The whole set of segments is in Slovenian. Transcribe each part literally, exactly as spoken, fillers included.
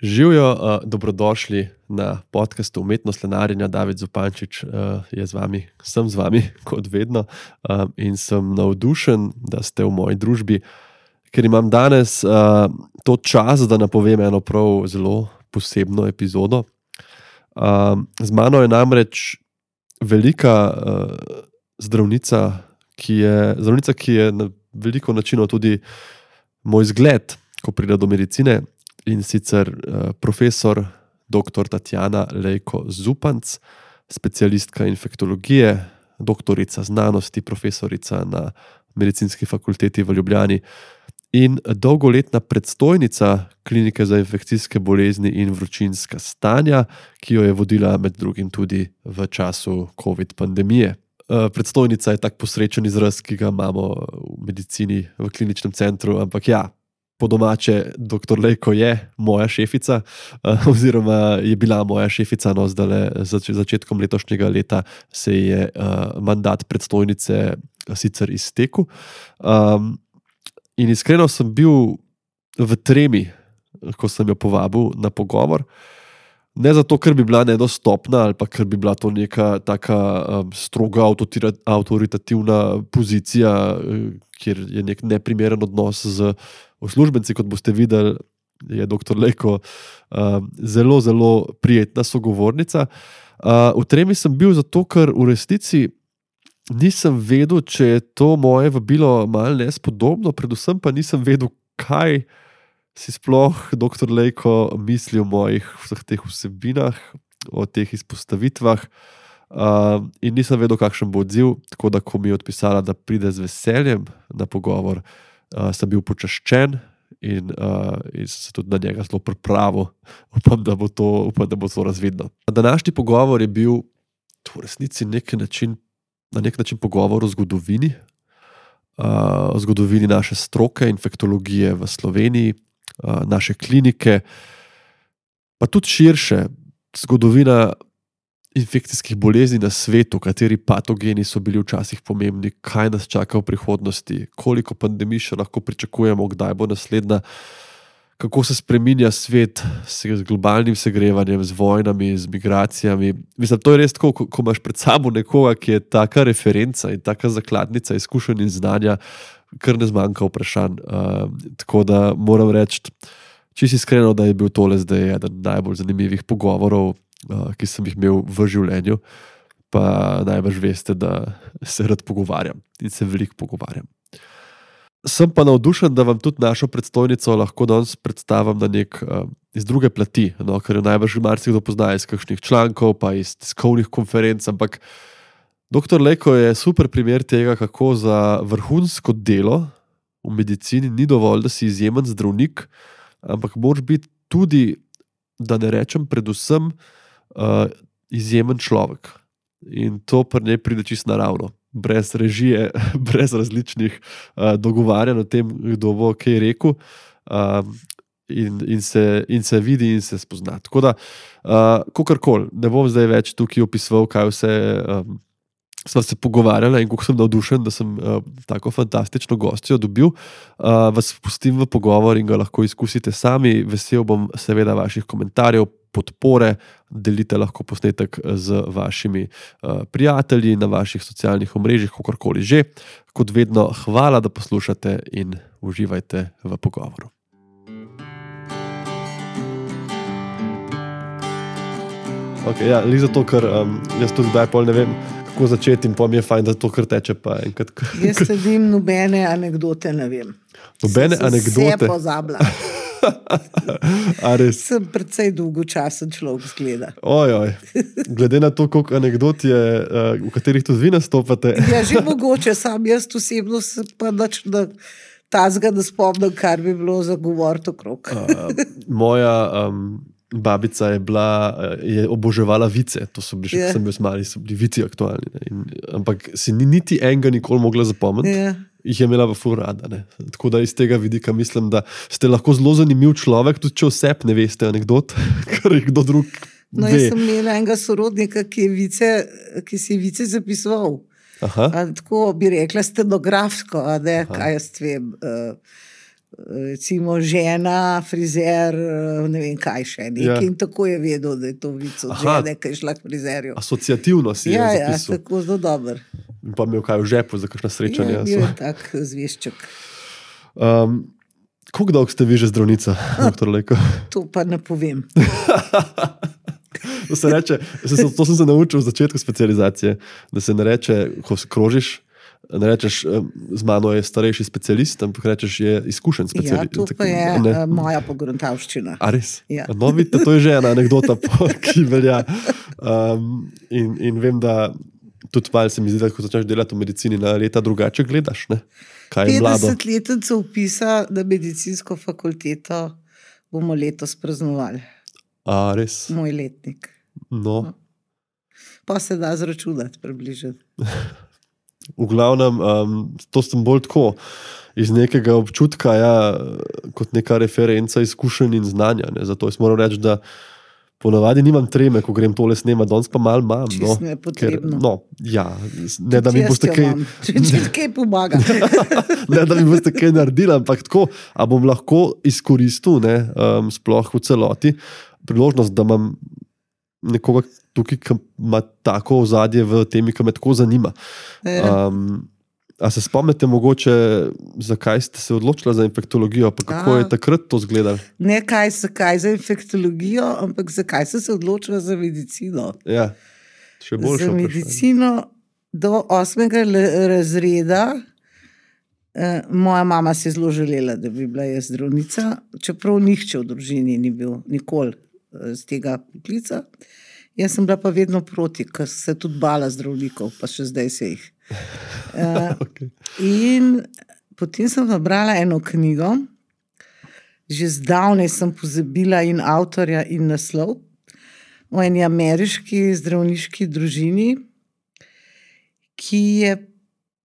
Živjo, uh, dobrodošli na podcastu Umetnost lenarjenja. David Zupančič uh, je z vami, sem z vami, kot vedno, uh, in sem navdušen, da ste v moji družbi, ker imam danes uh, to čas, da napovem eno prav zelo posebno epizodo. Uh, z mano je namreč velika uh, zdravnica, ki je, zdravnica, ki je na veliko načinov tudi moj zgled, ko pride do medicine. In sicer uh, profesor doktor Tatjana Lejko Zupanc, specialistka infektologije, doktorica znanosti, profesorica na Medicinski fakulteti v Ljubljani in dolgoletna predstojnica klinike za infekcijske bolezni in vročinska stanja, ki jo je vodila med drugim tudi v času COVID pandemije. Uh, predstojnica je tak posrečen izraz, ki ga imamo v medicini, v kliničnem centru, ampak ja, po domače, doktor Lejko je moja šefica, uh, oziroma je bila moja šefica, no zdaj zač začetkom letošnjega leta se je uh, mandat predstojnice sicer iztekel. Um, in iskreno sem bil v tremi, ko sem jo povabil na pogovor. Ne zato, ker bi bila nedostopna ali pa ker bi bila to neka taka um, stroga avtoritativna pozicija, kjer je nek neprimeren odnos z uslužbenci, kot boste videli, je doktor Lejko uh, zelo, zelo prijetna sogovornica. Uh, v tremi sem bil zato, ker v resnici nisem vedel, če je to moje vabilo malo nespodobno, predvsem pa nisem vedel, kaj si sploh doktor Lejko misli o mojih vseh teh vsebinah, o teh izpostavitvah, uh, in nisem vedel, kakšen bo odziv, tako da ko mi je odpisala, da pride z veseljem na pogovor, uh, sem bil počaščen in, uh, in sem se tudi na njega zelo pripravil. Upam, da bo to, upam, da bo to razvidno. Današnji pogovor je bil v resnici nek način, na nek način pogovor o zgodovini, uh, o zgodovini naše stroke, infektologije v Sloveniji, naše klinike, pa tudi širše, zgodovina infekcijskih bolezni na svetu, kateri patogeni so bili včasih pomembni, kaj nas čaka v prihodnosti, koliko pandemij še lahko pričakujemo, kdaj bo naslednja, kako se spreminja svet z globalnim segrevanjem, z vojnami, z migracijami. Mislim, to je res tako, ko, ko imaš pred sabo nekoga, ki je taka referenca in taka zakladnica izkušenj in znanja, kar ne zmanjka vprašanj. Uh, tako da moram reči, čisto iskreno, da je bil tole zdaj eden najbolj zanimivih pogovorov, uh, ki sem jih imel v življenju, pa najbrž veste, da se rad pogovarjam in se veliko pogovarjam. Sem pa navdušen, da vam tudi našo predstojnico lahko danes predstavim na nek uh, iz druge plati, no, ker jo najbrž marsikdo pozna iz kakšnih člankov, pa iz tiskovnih konferenc, ampak doktor Lejko je super primer tega, kako za vrhunsko delo v medicini ni dovolj, da si izjemen zdravnik, ampak moraš biti tudi, da ne rečem predvsem, uh, izjemen človek. In to pri njej pride čisto naravno, brez režije, brez različnih uh, dogovarjanj o tem, kdo bo kaj rekel, uh, in, in, se, in se vidi in se spozna. Tako da, uh, kakorkoli, ne bom zdaj več tukaj opisoval, kaj vse um, sva se pogovarjala in kako sem navdušen, da sem uh, tako fantastično gostjo dobil. Uh, vas pustim v pogovor in ga lahko izkusite sami. Vesel bom seveda vaših komentarjev, podpore, delite lahko posnetek z vašimi uh, prijatelji na vaših socialnih omrežjih, kakorkoli že. Kot vedno, hvala, da poslušate in uživajte v pogovoru. Ok, ja, li zato, ker um, jaz tudi kdaj pol ne vem, kako začeti in pa mi je fajn, da to kar teče pa enkrat. Jaz sledim nobene anekdote, ne vem. Nobene sem anekdote? Vse pozabila. A res? Sem precej dolgočasen človek zgleda. Oj, oj. Glede na to, koliko anekdot je, v katerih tudi vi nastopate. Ja, že mogoče, sam jaz osebno se pa nič da tazga, da spomnim, kar bi bilo za govoriti okrog. Uh, moja um, babica je bila, je oboževala vice, to so bili še, ko sem bil mali, so bili vici aktualni. Ne? In, ampak si ni niti enega nikoli mogla zapomniti, Ja. jih je imela v ful rada. Ne? Tako da iz tega vidika mislim, da ste lahko zelo zanimiv človek, tudi če oseb ne veste anekdot, kar je kdo drug No, ve. jaz sem imela enega sorodnika, ki, je vice, ki si je vice zapisoval. Aha. A, tako bi rekla stenografsko, a ne, kaj jaz vem. Uh, recimo žena, frizer, ne vem kaj še, nekaj Ja. in tako je vedel, da je to vic od Aha. žene, ki je šla k frizerju. Asociativno si Ja, je ja, zapisal. tako zelo dober. In pa imel kaj v žepu za kakšna Ja, srečanja. bil je tak zvešček. Um, koliko dolgo ste vi že zdravnica, doktor Lejko? To pa ne povem. To se reče, se- to sem se naučil v začetku specializacije, da se ne reče, ko se krožiš, ne rečeš, em, z mano je starejši specialist, ampak rečeš, je izkušen Ja, specialist. to pa je Ne. uh, moja pogruntavščina. A res? Ja. No, vidite, to je že ena anekdota, po- ki velja. Um, in, in vem, da tudi malo se mi zdi, da ko začneš delati v medicini, na leta drugače gledaš. Ne? Kaj je mlado? petdesetletnico vpisa na medicinsko fakulteto bomo letos praznovali. A res? Moj letnik. No. Pa se da zračunati približno. V glavnem, um, to sem bolj tako iz nekega občutka, ja, kot neka referenca izkušenj in znanja. Ne. Zato jaz moram reči, da ponavadi nimam treme, ko grem tole snemati, danes pa malo imam. Čisto No, nepotrebno. no, ja, ne da mi Jaz boste jo kaj, imam. Če, če kaj pomaga. ne da mi boste kaj naredili, ampak tako, a bom lahko izkoristil, ne, um, sploh v celoti, priložnost, da imam nekoga tukaj, ki ima tako ozadje v temi, ki me tako zanima. Ja. Um, a se spomnite mogoče, zakaj ste se odločili za infektologijo, pa kako A. je takrat to izgledalo? Ne kaj, zakaj za infektologijo, ampak zakaj sem se odločila za medicino. Ja, še boljše Za vprašanje. medicino do osmega le- razreda. Eh, moja mama si je zelo želela, da bi bila jaz zdravnica, čeprav nihče v družini ni bil nikoli eh, z tega poklica. Jaz sem bila pa vedno proti, ker sem se tudi bala zdravnikov, pa še zdaj se jih. Eh, Okay. In potem sem nabrala eno knjigo, že zdavnaj sem pozabila in avtorja in naslov, o eni ameriški zdravniški družini, ki je,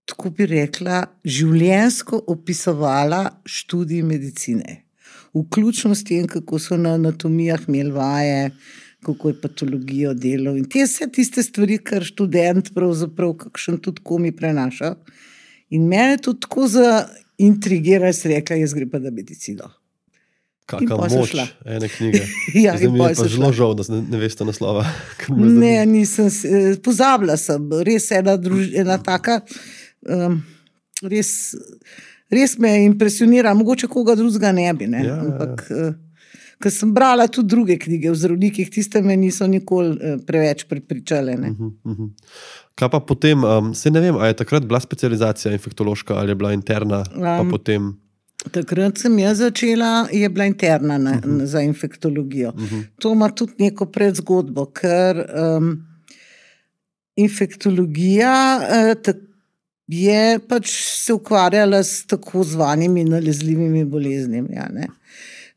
tako bi rekla, življenjsko opisovala študij medicine. Vključno s tem, kako so na anatomijah imeli vaje, kako je patologijo delal in te vse tiste stvari, kar študent pravzaprav kakšen tudi komi prenaša. In mene je to tako zaintrigiralo, sem rekla, jaz gre pa na medicino. Kakšna In pol sem moč šla. ene knjige. Ja, Zdaj in mi pol je pa sem zelo šla. žal, da ne, ne veste naslova. ker me zanima. Ne, nisem, se- eh, pozabila sem, res ena, druž, ena taka, um, res, res me impresionira, mogoče koga drugega ne bi, ne? Ja, ja, ja. Ampak, uh, ker sem brala tudi druge knjige o zdravnikih, tiste me niso nikoli uh, preveč prepričale. Ne? Mhm, mhm. Kaj pa potem, um, se ne vem, a je takrat bila specializacija infektološka ali je bila interna, pa Um, potem. Takrat sem jaz začela, je bila interna na, uh -huh. za infektologijo. Uh -huh. To ima tudi neko predzgodbo, ker um, infektologija uh, tak, je pač se ukvarjala s tako zvanimi nalezljivimi boleznimi. Ja, ne.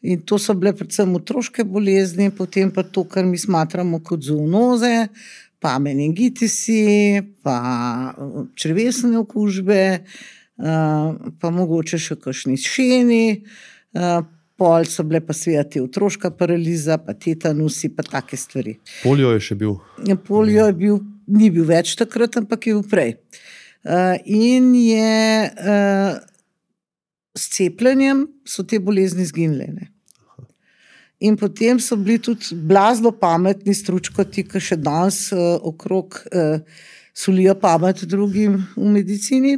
In to so bile predvsem otroške bolezni, potem pa to, kar mi smatramo kot zoonoze, pa meningitisi, pa uh, črevesne okužbe. Uh, pa mogoče še kakšni šeni, uh, pol so bile pa seveda te otroška paraliza, pa tetanusi, pa take stvari. Polio je še bil. Polio je bil, ni bil več takrat, ampak je bil prej. Uh, in je uh, s cepljenjem so te bolezni izginile. Ne? In potem so bili tudi blazno pametni stručkoti, ki še danes uh, okrog uh, solijo pamet drugim v medicini,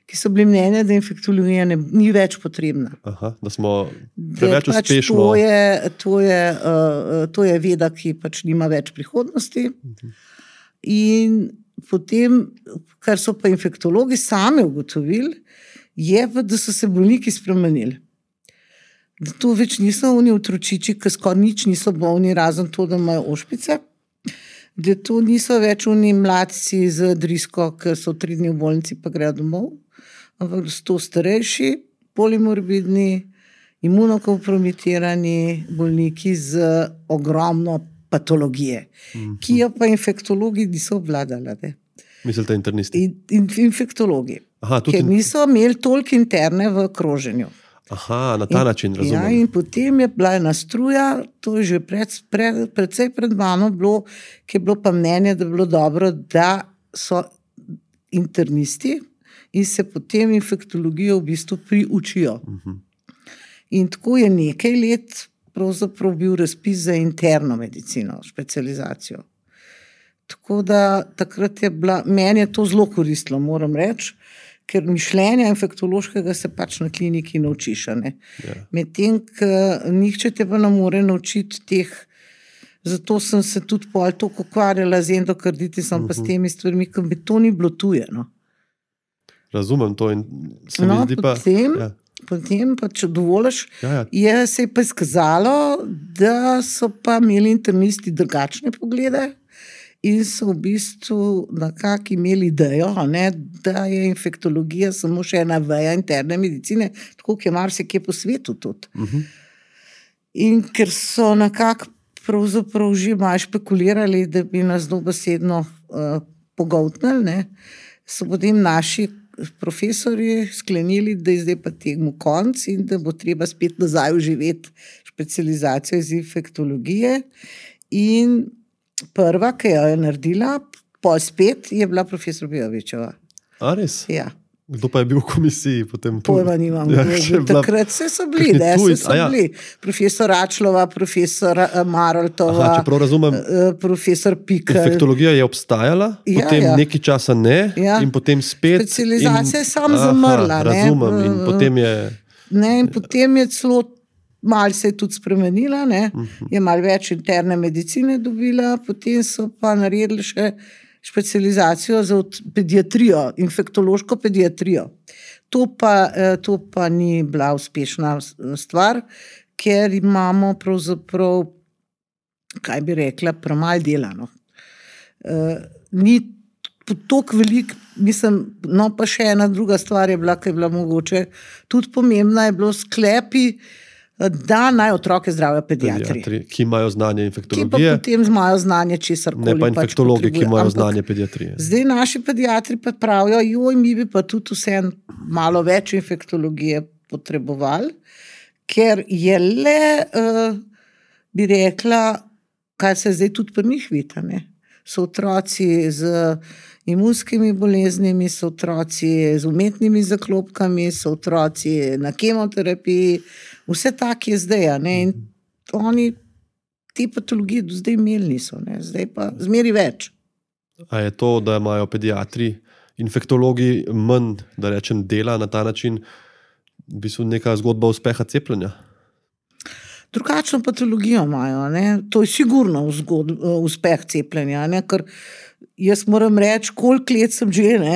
ki so bili mnenja, da infektologija ne, ni več potrebna. Aha, da smo Da preveč pač uspešno. To je, to, je, uh, to je veda, ki pač nima več prihodnosti. In potem, kar so pa infektologi sami ugotovili, je pa, da so se bolniki spremenili. Da to več niso oni otročiči, ki skoraj nič niso bolni, razen to, da imajo ošpice. Da to niso več oni mladci z drisko, ki so tri dni v bolnici pa grejo domov, ampak da so to starejši, polimorbidni, imunokompromitirani bolniki z ogromno patologije, mm-hmm. ki jo pa infektologi niso obvladali. Ne? Mislite internisti? In, in infektologi, Aha, tudi ker niso imeli toliko interne v kroženju. Aha, na ta In- način razumem. Ja, in potem je bila ena struja, to je že pred, pred, predvsej pred mano bilo, ki je bilo pa mnenje, da bi bilo dobro, da so internisti in se potem infektologijo v bistvu priučijo. Mhm. In tako je nekaj let pravzaprav bil razpis za interno medicino, specializacijo. Tako da takrat je bila, meni je to zelo koristilo, moram reči, ker mišljenja infektološkega se pač na kliniki naučiš. Ja. Medtem, ker nihče te pa ne more naučiti teh, zato sem se tudi pol toliko ukvarjala z endokarditisom, uh-huh. pa s temi stvarmi, ker mi to ni bilo tuje. No. Razumem to in se no, mi zdi pa... Potem, ja. potem pa, če dovoliš, ja, ja. je se je pa izkazalo, da so pa imeli internisti drugačne poglede, in so v bistvu nekako imeli idejo, ne, da je infektologija samo še ena veja interne medicine, tako kot je marsikje po svetu tudi. Uh-huh. In ker so nekako pravzaprav že malo špekulirali, da bi nas dobesedno uh, pogoltnili, ne, so potem naši profesorji sklenili, da je zdaj pa temu konc in da bo treba spet nazaj uživeti specializacijo iz infektologije. In prva, ki jo je naredila, pol spet, je bila profesor Bijovičeva. A res? Ja. Kdo pa je bil v komisiji potem? Pojma nimam. Ja, takrat se so bili, ne, se so ja. bili. Profesor Račlova, profesor Maroltova, Aha, če prav razumem, profesor Pikl. Infektologija je obstajala, ja, potem ja. nekaj časa ne, ja. in potem spet... Specializacija in, je sam zamrla. Aha, razumem, ne, in potem je... Ne, in potem je celo malo se je tudi spremenila, ne? Uh-huh. Je malo več interne medicine dobila, potem so pa naredili še specializacijo za pediatrijo, infektološko pediatrijo. To pa, to pa ni bila uspešna stvar, ker imamo pravzaprav, kaj bi rekla, premalo delano. Uh, ni toliko velik, mislim, no pa še ena druga stvar je bila, ki je bila mogoče tudi pomembna, je bilo sklepi, da naj otroke zdravijo pediatri. Pediatri, ki imajo znanje infektologije. Ki pa potem imajo znanje česarkoli. Ne pa infektologi, pač ki imajo Ampak znanje pediatrije. Zdaj naši pediatri pa pravijo, joj, mi bi pa tudi vse malo več infektologije potrebovali, ker je le, uh, bi rekla, kaj se zdaj tudi pri njih vidi, ne? So otroci z imunskimi boleznimi, so otroci z umetnimi zaklopkami, so otroci na kemoterapiji, vse tak je zdaj, ne? In oni te patologije do zdaj imeli niso, ne? Zdaj pa zmeri več. A je to, da imajo pediatri, infektologi manj, da rečem, dela na ta način, v bistvu neka zgodba uspeha cepljenja? Drugačno patologijo imajo, ne? To je sigurno zgod, uspeh cepljenja, ne? Ker jaz moram reči, koliko let sem že, ne?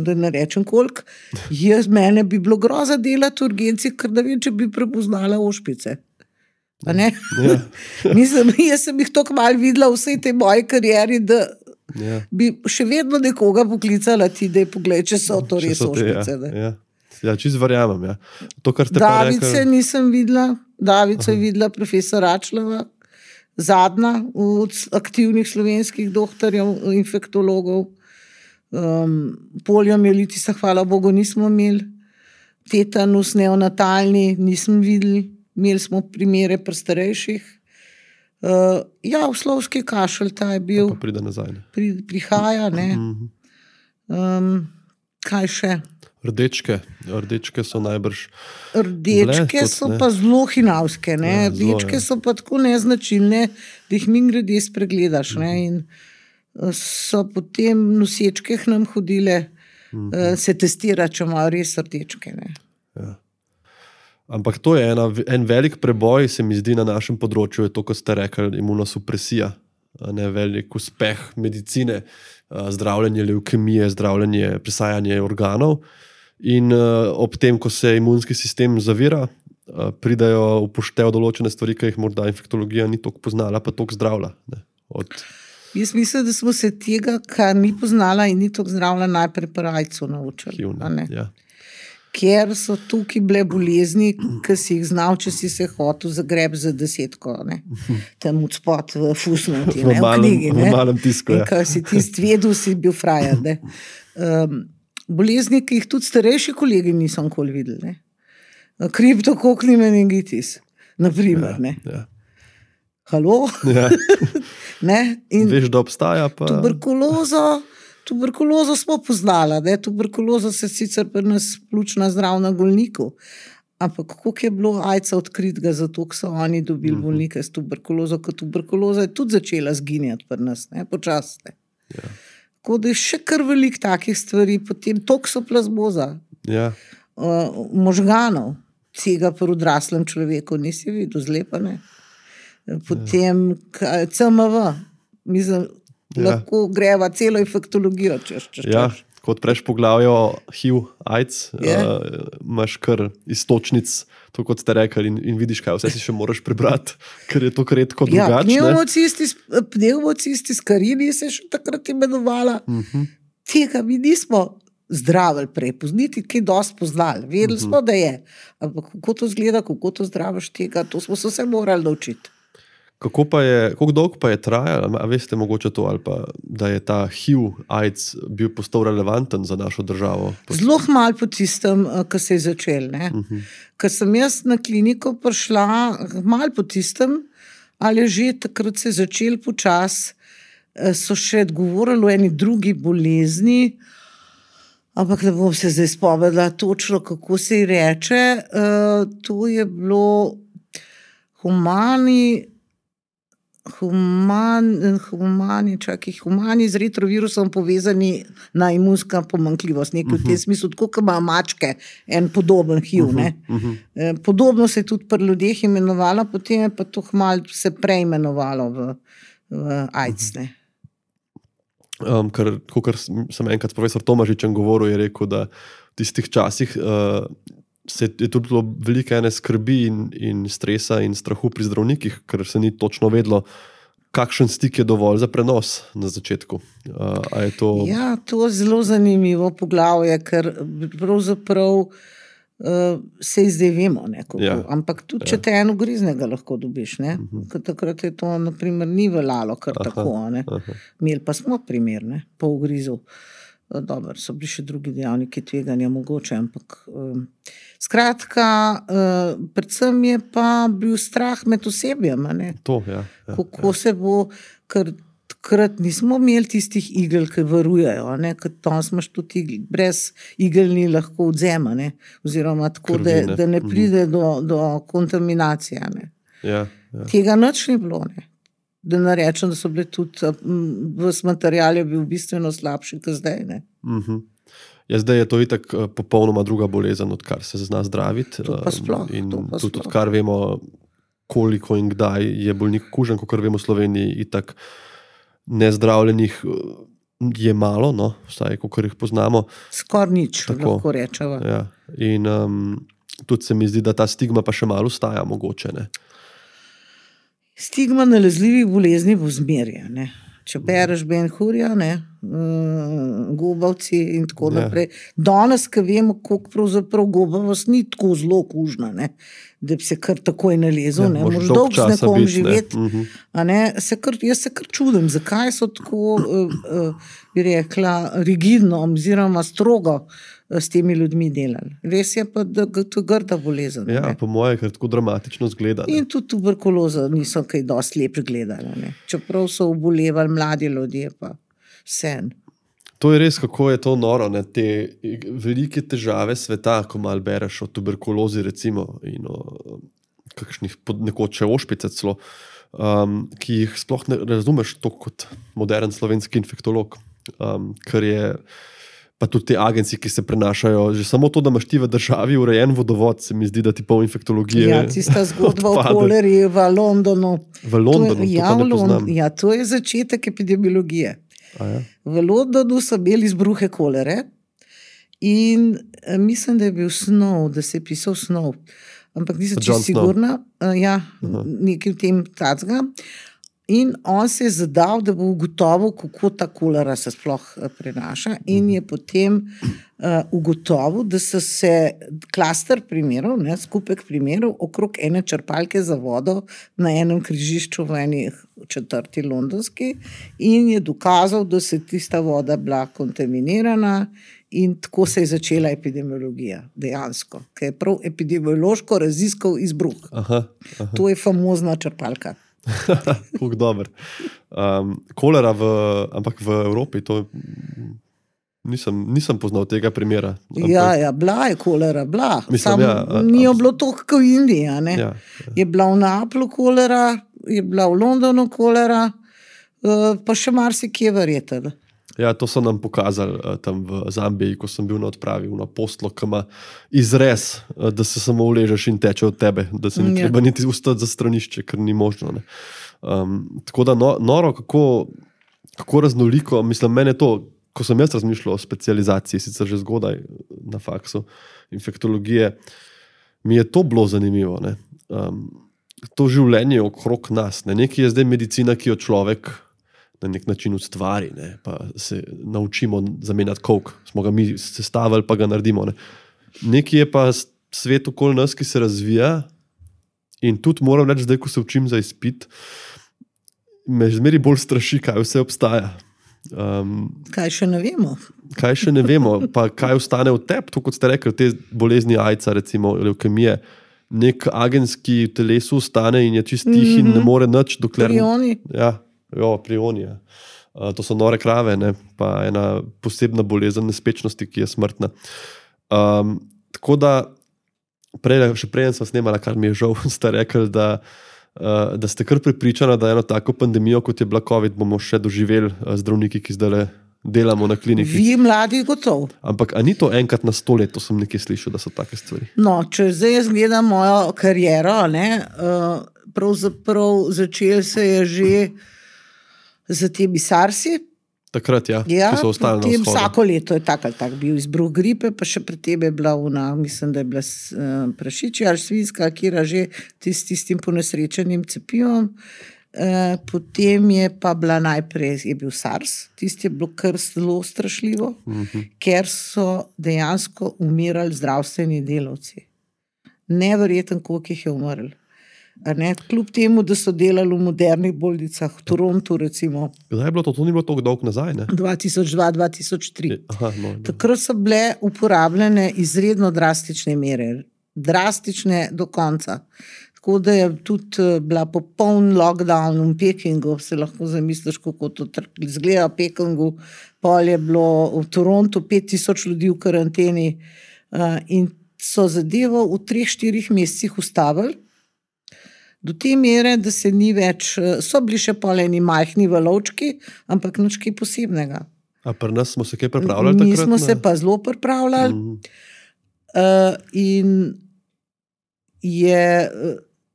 Da ne rečem koliko, jaz mene bi bilo groza delati v urgenci, ker da vem, če bi prepoznala ošpice. A ne? Ja. Mislim, jaz sem jih toliko malo videla v vsej tej moji karieri, da ja. bi še vedno nekoga poklicala ti, da je pogled, če so to res ošpice. Ja, ja. ja čist verjamem. Ja. To, kar ste Davice pa rekli... nisem videla, Davico je videla profesor Račlova, zadnja od aktivnih slovenskih doktorjev, infektologov. Um, poliomielitisa, hvala Bogu, nismo imeli. Tetanus neonatalni nismo videli. Imeli smo primere pri starejših. Uh, ja, uslovski kašelj, ta je bil. Pa pride nazaj. Ne? Pri, prihaja, ne. Um, kaj še? Rdečke. Rdečke so najbrž... Rdečke bile, so tudi, pa zelo hinavske. Ne? Ja, Rdečke zelo, ja. so pa tako neznačilne, da jih mingrede spregledaš. Ne? In so potem nosečke k nam hodile, uh-huh. uh, se testira, če imajo res rdečke. Ne? Ja. Ampak to je ena, en velik preboj, se mi zdi na našem področju, je to, ko ste rekli, imunosupresija. Ne, velik uspeh medicine, zdravljenje levkemije, zdravljenje presajanje organov. In uh, ob tem, ko se imunski sistem zavira, uh, pridajo upoštev določene stvari, ki jih morda infektologija ni toliko poznala, pa toliko zdravila. Ne, od... Jaz mislim, da smo se tega, kar ni poznala in ni toliko zdravila, najprej pri rajcu naučili. Hivne, ja. Ker so tukaj bile bolezni, ki si jih znal, če si se hotel zagreb za desetko, ne? Tam od spod v fusnoti, ne? V knjigi. Ne? V malem tisku, ja. In ko si ti stvedel, si bil frajer, ne? Um, bolezni, ki jih tudi starejši kolegi niso nikoli videli, ne? Kriptokokni meningitis, naprimer, ne? Ja, ja. Halo? Ja. Ne? In veš, da obstaja pa... Tuberkulozo, tuberkulozo smo poznala, ne? Tuberkuloza se sicer pri nas pljučna zdrav na Golniku, Ampak koliko je bilo ajca odkritega, zato so oni dobili bolnike s tuberkulozo, ker tuberkuloza je tudi začela zginjati pri nas, ne, počasne. Ja. Tako da je še kar veliko takih stvari, potem toksoplasmoza, Ja. uh, možganov, tega pri odraslem človeku nisi videl, zlepa ne. Potem kaj, C M V, mislim, Ja. lahko greva celo infektologijo, češ, češ, Ja, češ. ko odpreš poglavjo H I V, AIDS, Je. uh, imaš kar istočnic, to kot ste rekli, in, in vidiš, kaj vse si še moraš prebrati, ker je to redko Ja, drugače. ne. pneumocisti, pneumocisti skarini se še takrat imenovala. Mhm. Tega mi nismo zdravili prej, pozniti, kaj dosti poznali. Vedeli smo, da je. Ampak kako to izgleda, kako to zdraviš tega, to smo se vse morali naučiti. Kako pa je, koliko dolgo pa je trajalo, a veste mogoče to, ali pa, da je ta H I V, AIDS bil postal relevanten za našo državo? Zelo malo po tistem, ko se je začel. Ne? Mhm. Ker sem jaz na kliniko prišla, malo po tistem, ali že takrat se je začel počas, so še govorili o eni drugi bolezni, ampak ne bom se zdaj spomnila točno, kako se ji reče. Uh, to je bilo humani, human, humani, čakaj, humani z retrovirusom povezani na imunska pomanjkljivost. Nekaj v tem smislu, tako kot ima mačke, en podoben H I V. Ne? Eh, Podobno se je tudi pri ljudeh imenovalo, potem je pa to malo se preimenovalo v, v AIDS. Ne? Um, ker, kakor sem enkrat s profesor Tomažičem govoril, je rekel, da v tistih časih uh, se je tudi bilo veliko ene skrbi in, in stresa in strahu pri zdravnikih, ker se ni točno vedelo, kakšen stik je dovolj za prenos na začetku. Uh, a je to... Ja, to je zelo zanimivo poglavje, ker pravzaprav uh, se zdaj vemo, ne, kako. Ja. Ampak tudi, če te eno griznega lahko dobiš, ne, ker takrat je to, naprimer, ni veljalo kar Aha, tako, ne. aha. Imeli pa smo primer, ne, po ugrizu. Dobro, so bili še drugi dejavniki tveganja mogoče, ampak um, skratka, uh, predvsem je pa bil strah med osebjem, a ne. To, ja, ja, Kako se bo, ker takrat nismo imeli tistih igel, ki varujejo, a ne, ker tam smo tudi igel, brez igel ni lahko odzema, ne, oziroma tako, da, Krvi, ne. da ne pride do, do kontaminacije, a ne. ja, ja. Tega nič ni bilo, ne. Da ne rečem, da so bile tudi, ves material je bil bistveno slabši, kot zdaj, ne. Mhm. Ja, zdaj je to itak eh, popolnoma druga bolezen, odkar se zna zdraviti. To pa um, sploh, In to pa tudi sploh. odkar vemo, koliko in kdaj je bolnik okužen, kot vemo v Sloveniji, itak nezdravljenih eh, je malo, no, vsaj kolikor jih poznamo. Skoraj nič, Tako. lahko rečeva. Ja. In um, tudi se mi zdi, da ta stigma pa še malo ostaja mogoče. Ne? Stigma nalezljivih bolezni bo zmerja, ne. Če bereš Ben Hurja, ne, uh, gobavci in tako Ja. naprej. Danes, ko vemo, koliko pravzaprav gobavost ni tako zelo kužna, ne, da bi se kar takoj nalezel, Ja, ne, moraš moraš dolgo dolgo z časa nekom biti, ne. živeti. Mhm. A ne, se kar, jaz se kar čudim, zakaj so tako, uh, uh, bi rekla, rigidno oziroma strogo uh, s temi ljudmi delali. Res je pa, da g- to je grda bolezen. Ja, ne. po moje, ker tako dramatično zgleda. Ne? In tudi tuberkulozo niso kaj dosti lepo gledali. Ne. Čeprav so obolevali mladi ljudje, pa sen. To je res, kako je to noro. Ne? Te velike težave sveta, ko malo bereš o tuberkulozi, recimo, in o kakšnih pod- nekoč še ošpice celo, um, ki jih sploh ne razumeš tako kot modern slovenski infektolog. Um, ker je pa tudi te agencije, ki se prenašajo, že samo to, da imaš ti v državi urejen vodovod, se mi zdi, da ti pol infektologije. Ja, tista zgodba o odpade. koleri v Londonu. V Londonu, to, je, to ja, pa ne v Lond- poznam. ja, to je začetek epidemiologije. A ja? V Londonu so imeli izbruhe kolere in eh, mislim, da je bil snov, da se je pisal snov. Ampak nisem John čisto Snow. sigurna, uh, ja, nekaj v tem tacga. In on se je zadal, da bo ugotovil, kako ta kolera se sploh eh, prenaša, in je potem uh, ugotovil, da so se klaster primerov, ne, skupek primerov okrog ene črpalke za vodo na enem križišču v eni četrti londonski, in je dokazal, da se tista voda bila kontaminirana. In tako se je začela epidemiologija, dejansko, ki je prav epidemiološko raziskal izbruh. Aha, aha. To je famozna črpalka. Kako dober. Um, kolera, v, ampak v Evropi, to je Nisem, nisem poznal tega primera. Ampak... Ja, ja, bila je kolera, bila. Mislim, Sam ja, a, ni jo abs- bilo toliko kot v Indiji. a ne. Ja, ja. Je bila v Naplu kolera, je bila v Londonu kolera, uh, pa še marsikje verjetno. Ja, to so nam pokazali uh, tam v Zambiji, ko sem bil na odpravi, v apostlo, ki ima izrez, uh, da se samo uležeš in teče od tebe, da se ni Ja. treba niti ustati za stranišče, ker ni možno. Ne. Um, tako da no, noro, kako, kako raznoliko, mislim, mene to, ko sem jaz razmišljal o specializaciji, sicer že zgodaj na faksu infektologije, mi je to bilo zanimivo. Ne. Um, to življenje okrog nas, ne. Nekaj je zdaj medicina, ki jo človek na nek način ustvari, ne, pa se naučimo zamenjati coke, smo ga mi sestavili, pa ga naredimo. Ne. Nekaj je pa svet okoli nas, ki se razvija in tudi moram reči, zdaj, ko se učim za izpit, me zmeri bolj straši, kaj vse obstaja. Um, Kaj še ne vemo? kaj še ne vemo, pa kaj ostane v tebi, to kot ste rekli, te bolezni ajca, recimo leukemije, nek agens, ki v telesu ostane in je čist tih mm -hmm. in ne more nič, dokler... Prioni. Ja, jo, prioni, ja. Uh, to so nore krave, ne? Pa ena posebna bolezen nespečnosti, ki je smrtna. Um, tako da, prej, še prej sem snemala, kar mi je žal, ste rekli, da, uh, da ste kar prepričani, da eno tako pandemijo, kot je bila COVID, bomo še doživeli uh, zdravniki, ki zdaj delamo na kliniki. Vi mladi gotov. Ampak a ni to enkrat na sto let, to sem nekaj slišal, da so take stvari? No, če zdaj jaz gledam mojo kariero, ne, uh, pravzaprav začel se je že za temi SARS-i. Takrat, ja, Ja, ki so ostali na potem vzhodu. vsako leto je tak ali tak bil izbruh gripe, pa še pred tem je bila una, mislim, da je bila uh, prašičja ali svinjska, kjer že tis, tistim ponesrečenim cepivom. Uh, potem je pa bila najprej je bil SARS, tisti je bilo kar zelo strašljivo, uh-huh. ker so dejansko umirali zdravstveni delavci. Neverjeten, koliko jih je umrl. A ne, kljub temu, da so delali v modernih bolnicah, v Torontu recimo. Kdaj je bilo to? To ni bilo tako dolgo nazaj, ne? dva tisoč dva do dva tisoč tri. Aha, no, no. Takrat so bile uporabljene izredno drastične mere, drastične do konca. Tako da je tudi bila popoln lockdown v Pekingu, se lahko zamisliš, kako to izgleda v Pekingu. Pol je bilo v Torontu pet tisoč ljudi v karanteni in so zadevo v treh, štirih mesecih ustavili. Do te mere, da se ni več, so bili še poleni majhni valovčki, ampak nič kaj posebnega. A pri nas smo se kaj pripravljali Mi takrat? smo ne? se pa zelo pripravljali Mhm. uh, in je,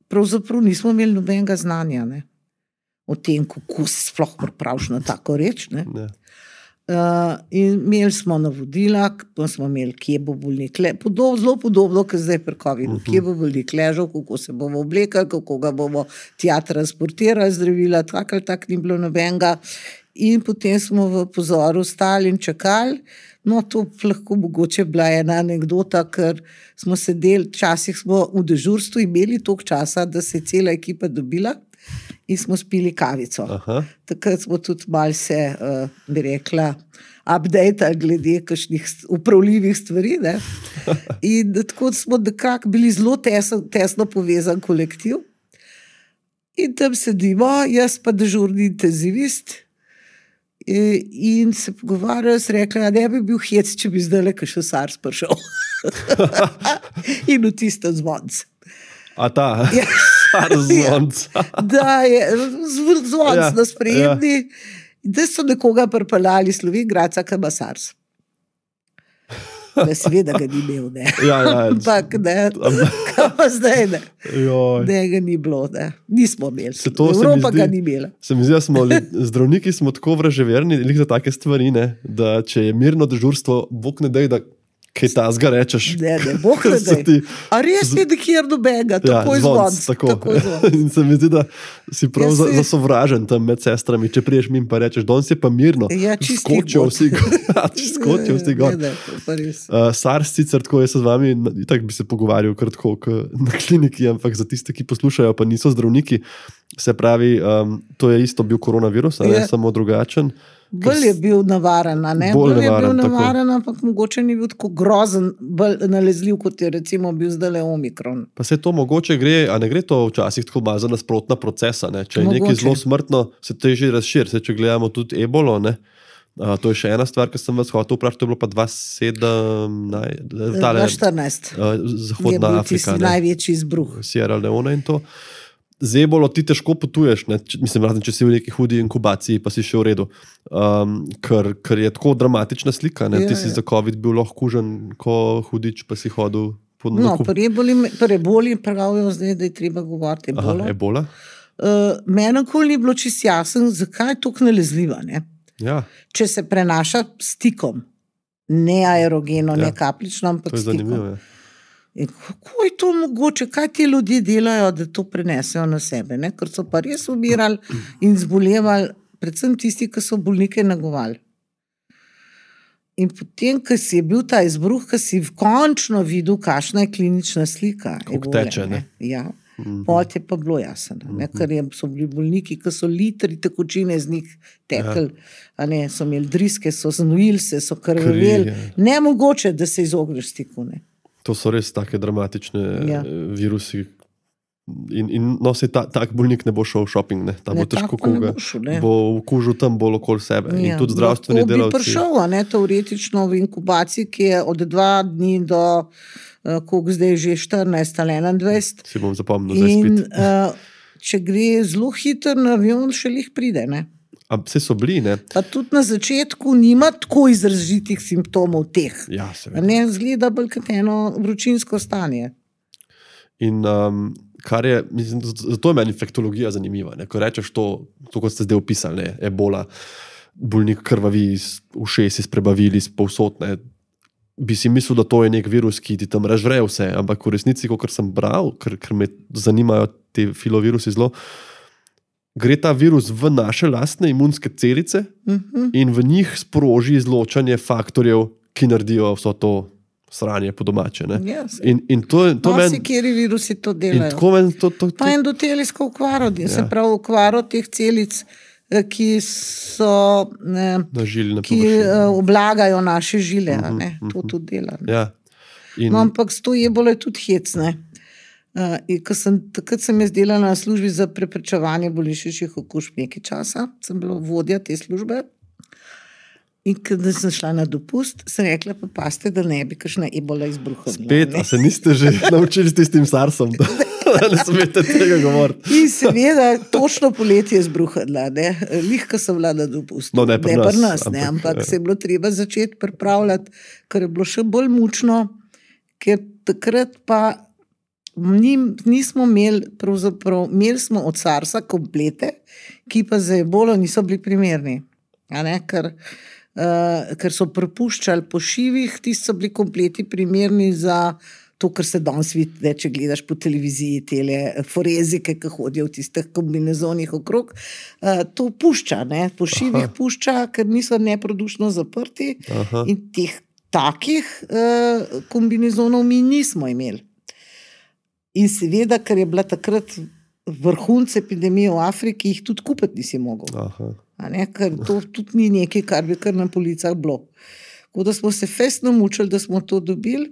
pravzaprav nismo imeli nobenega znanja, ne, o tem, kako se sploh pripraviš na tako reč, ne. Ne. Uh, in imeli smo navodila, pa smo imeli, kje bo bolnik le, podob, zelo podobno, kot zdaj pri covidu, uh-huh. kje bo bolnik ležal, kako se bomo oblekali, kako ga bomo tja transportirali, zdravila, tak ali tak ni bilo nobenega. In potem smo v pozoru stali in čakali. No, to lahko mogoče bila ena anekdota, ker smo sedeli, včasih smo v dežurstvu imeli toliko časa, da se je cela ekipa dobila in smo spili kavico. Aha. Takrat smo tudi malo se, uh, bi rekla, update glede kakšnih upravljivih stvari. Ne? In tako smo nekako bili zelo tesno, tesno povezan kolektiv. In tam sedimo, jaz pa dežurni intenzivist, in se pogovarjajo, se rekla, da ne bi bil hec, če bi zdaj le še SARS prišel. In v tistem zvonc. A ta, Ja. SARS zvonc. Da je zv- zvonc Ja, na sprejemni, da so nekoga pripeljali Slovenj Gradca, ki ima SARS. Da seveda ga ni imel, ne. Ja, ja. Ampak ne, kaj pa zdaj ne. Joj. Ne, ga ni bilo, ne. Nismo imeli. Se to se mi Evropa zdi- ga ni imela. Se mi zdi, da smo li- zdravniki smo tako vraževerni lih za take stvari, ne, da če je mirno dežurstvo, Bog ne dej, da kaj tazga rečeš. Ne, ne, Bog ne Se daj. ti- A res je nikjer nobenega, tako je zvonc, zvonc. tako. Tako je zvonc. In se mi zdi, da si prav Ja, za, saj- zasovražen tam med sestrami, če priješ mi in pa rečeš, danes je pa mirno. Ja, čist skočijo jih vsi gor. Ja, čist skočijo vsi gor. Ne, ne, to pa res. Uh, SARS sicer tako, jaz se z vami tako bi se pogovarjal kratko na kliniki, ampak za tiste, ki poslušajo, pa niso zdravniki, se pravi, um, to je isto bil koronavirus, ali Je. samo drugačen. Bolj je bil navaren, a ne? Bolj Bolj je bil nevaren, tako. navaren, ampak mogoče ni bil tako grozen, bolj nalezljiv, kot je recimo bil zdaj le Omikron. Pa se to mogoče gre, a ne gre to včasih tako malo za nasprotna procesa, ne? Če je nekaj Mogoče. zelo smrtno, se težje razširi, se če gledamo tudi ebolo, ne? Uh, to je še ena stvar, ki sem vas hotel vprašati, to je bilo pa dva tisoč sedemnajst, uh, Zahodna Afrika. Največji izbruh. Sierra Leone in to. Zdaj bolj ti težko potuješ, ne? Mislim, razen če si v neki hudi inkubaciji, pa si še v redu, um, ker, ker je tako dramatična slika. Ne? Ja, ti si ja. Za COVID bil lahko kužen, ko hudič, pa si hodil po no, preboli pravijo zdaj, da je treba govoriti ebola. Aha, ebola? Uh, Meni nikoli ni bilo čisto jasno, zakaj je tako nalezljiva. Ne? Ja. Če se prenaša stikom, ne aerogeno, ja. Ne kaplično, ampak to je stikom. Zanimivo, ja. In kako je to mogoče, kaj ti ljudje delajo, da to prenesejo na sebe, ne? Ker so pa res umirali in zbolevali, predvsem tisti, ki so bolnike negovali. In potem, ko si je bil ta izbruh, ko si končno videl, kakšna je klinična slika. Kako teče, ne? Ja. Mm-hmm. Pot je pa bilo jasno, mm-hmm. ker so bili bolniki, ki so litri tekočine z njih tekli, ja. Ne, so imeli driske, so znojili se, so krvaveli. Nemogoče, da se izogneš stiku. Ne. To so res take dramatične ja. virusi. In, in no, se ta, tak bolnik ne bo šel v shopping, ne. Ta ne, bo težko koga. Ne bo vkužil tam bolj okoli sebe. Ja. In tudi zdravstveni delavci. Lahko bi prišel, ne, teoretično v inkubaciji, ki je od dva dni do koliko zdaj že štirinajst ali enaindvajset. Si bom zapomnil zdaj spet. In uh, če gre zelo hiter na avion, še lih pride, ne? A vse so bili, ne? Pa tudi na začetku nima tako izrazitih simptomov teh. Ja, seveda. Ne zgleda bolj kot eno vročinsko stanje. In um, kar je, mislim, zato je meni infektologija zanimiva, ne? Ko rečeš to, to, kot ste zdaj opisali, ne? Ebola, bolnik krvavi, ušesi sprebavili, povsod, ne? Bi si mislil, da to je nek virus, ki ti tam razžre vse, ampak v resnici, kot sem bral, ker, ker me zanimajo te filovirusi zelo, gre ta virus v naše lastne imunske celice uh-huh. in v njih sproži izločanje faktorjev, ki naredijo vso to sranje po domače. Ne? Yes. In, in to, to no, men, si, kjeri virusi to delajo. Men to, to, to, pa endotelijsko okvaro, ja. Se pravi okvaro teh celic, ki so ne, žilne ki uh, oblagajo naše žile, uh-huh, ne? To uh-huh. tudi dela. Ja. In... No, ampak s to ebola je tudi hecne. Uh, sem, takrat sem jaz delala na službi za preprečevanje bolnišničnih okužb nekaj časa, sem bila vodja te službe in kada sem šla na dopust, sem rekla, pa paste, da ne bi kakšna ebola izbruhala. Spet, a se niste že naučili s tistim SARSom? Ne smete tega govoriti. In seveda, točno poletje je izbruhala, ne. Lihka sem bila na dopustu. No, ne pri ne, nas. Pri nas ne, ampak se je bilo treba začeti pripravljati, ker je bilo še bolj mučno, ker takrat pa nismo imeli, pravzaprav, imeli smo od SARSa komplete, ki pa za ebolo niso bili primerni. A ne, ker, uh, ker so prepuščali po šivih, tisti so bili kompleti primerni za to, kar se danes vidi, če gledaš po televiziji, tele forezike, ki hodijo v tistih kombinezonih okrog, uh, to pušča, ne, po šivih Aha. Pušča, ker niso neprodušno zaprti. Aha. In teh takih uh, kombinezonov mi nismo imeli. In seveda, ker je bila takrat vrhunc epidemije v Afriki, jih tudi kupiti nisi mogel. Aha. A ne, ker to tudi ni nekaj, kar bi kar na policah bilo. Tako da smo se festno mučili, da smo to dobili.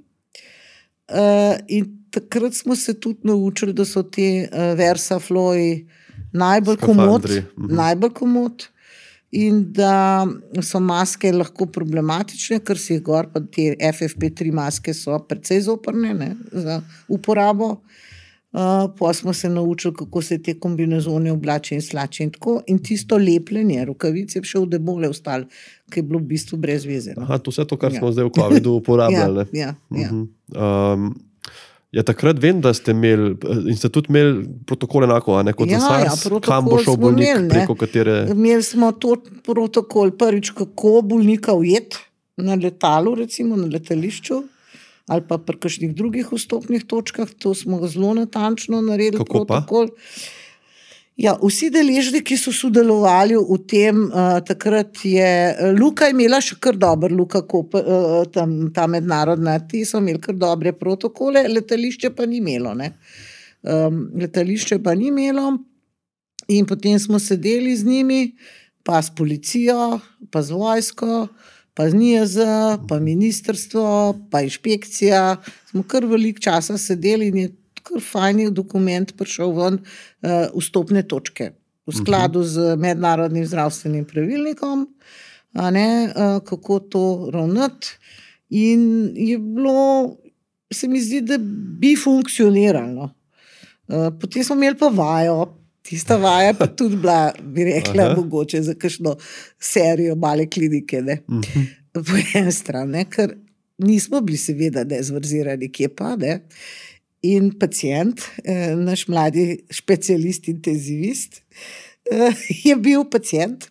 Uh, in takrat smo se tudi naučili, da so te uh, versafloji najbolj komod, mhm. najbolj komod in da so maske lahko problematične, ker si jih gor, pa te F F P tri maske so precej zoprne, ne, za uporabo. Uh, pa smo se naučili, kako se te kombinezone oblače in slače in tako. In tisto lepljenje, rokavice je še v debole ostalo, ki je bilo v bistvu brez veze. No? Aha, to vse to, kar ja. Smo zdaj v covidu uporabljali. ja, ja, ja. Um, ja, takrat vem, da ste imeli, in ste tudi imeli protokol enako, a ne kot ja, za SARS, ja, kam bo šel bolnik, imeli, preko katere... Imeli smo to protokol, prvič, kako bolnika ujeti na letalu, recimo na letališču, ali pa pri kakšnih drugih vstopnih točkah, to smo zelo natančno naredili. Kako protokol. Pa? Ja, vsi deležniki, ki so sodelovali v tem, uh, takrat je, Luka je imela še kar dober, Luka Koper, uh, tam, ta mednarodna, ti so imeli kar dobre protokole, letališče pa ni imelo, ne. Um, letališče pa ni imelo in potem smo sedeli z njimi, pa s policijo, pa z vojsko, pa z N I A Z, pa ministrstvo, pa inšpekcija, smo kar veliko časa sedeli in je kar fajni dokument prišel ven uh, vstopne točke v skladu z mednarodnim zdravstvenim pravilnikom. a ne, uh, kako to ravnati. In je bilo, se mi zdi, da bi funkcioniralo. Uh, potem smo imeli pa vajo, tista vaja pa tudi bila, bi rekla, Aha. mogoče za kakšno serijo male klinike, ne, uh-huh. po eni strani, ker nismo bili seveda nezvrzirani, kje pa, ne. In pacient, eh, naš mladi specialist, intenzivist, eh, je bil pacient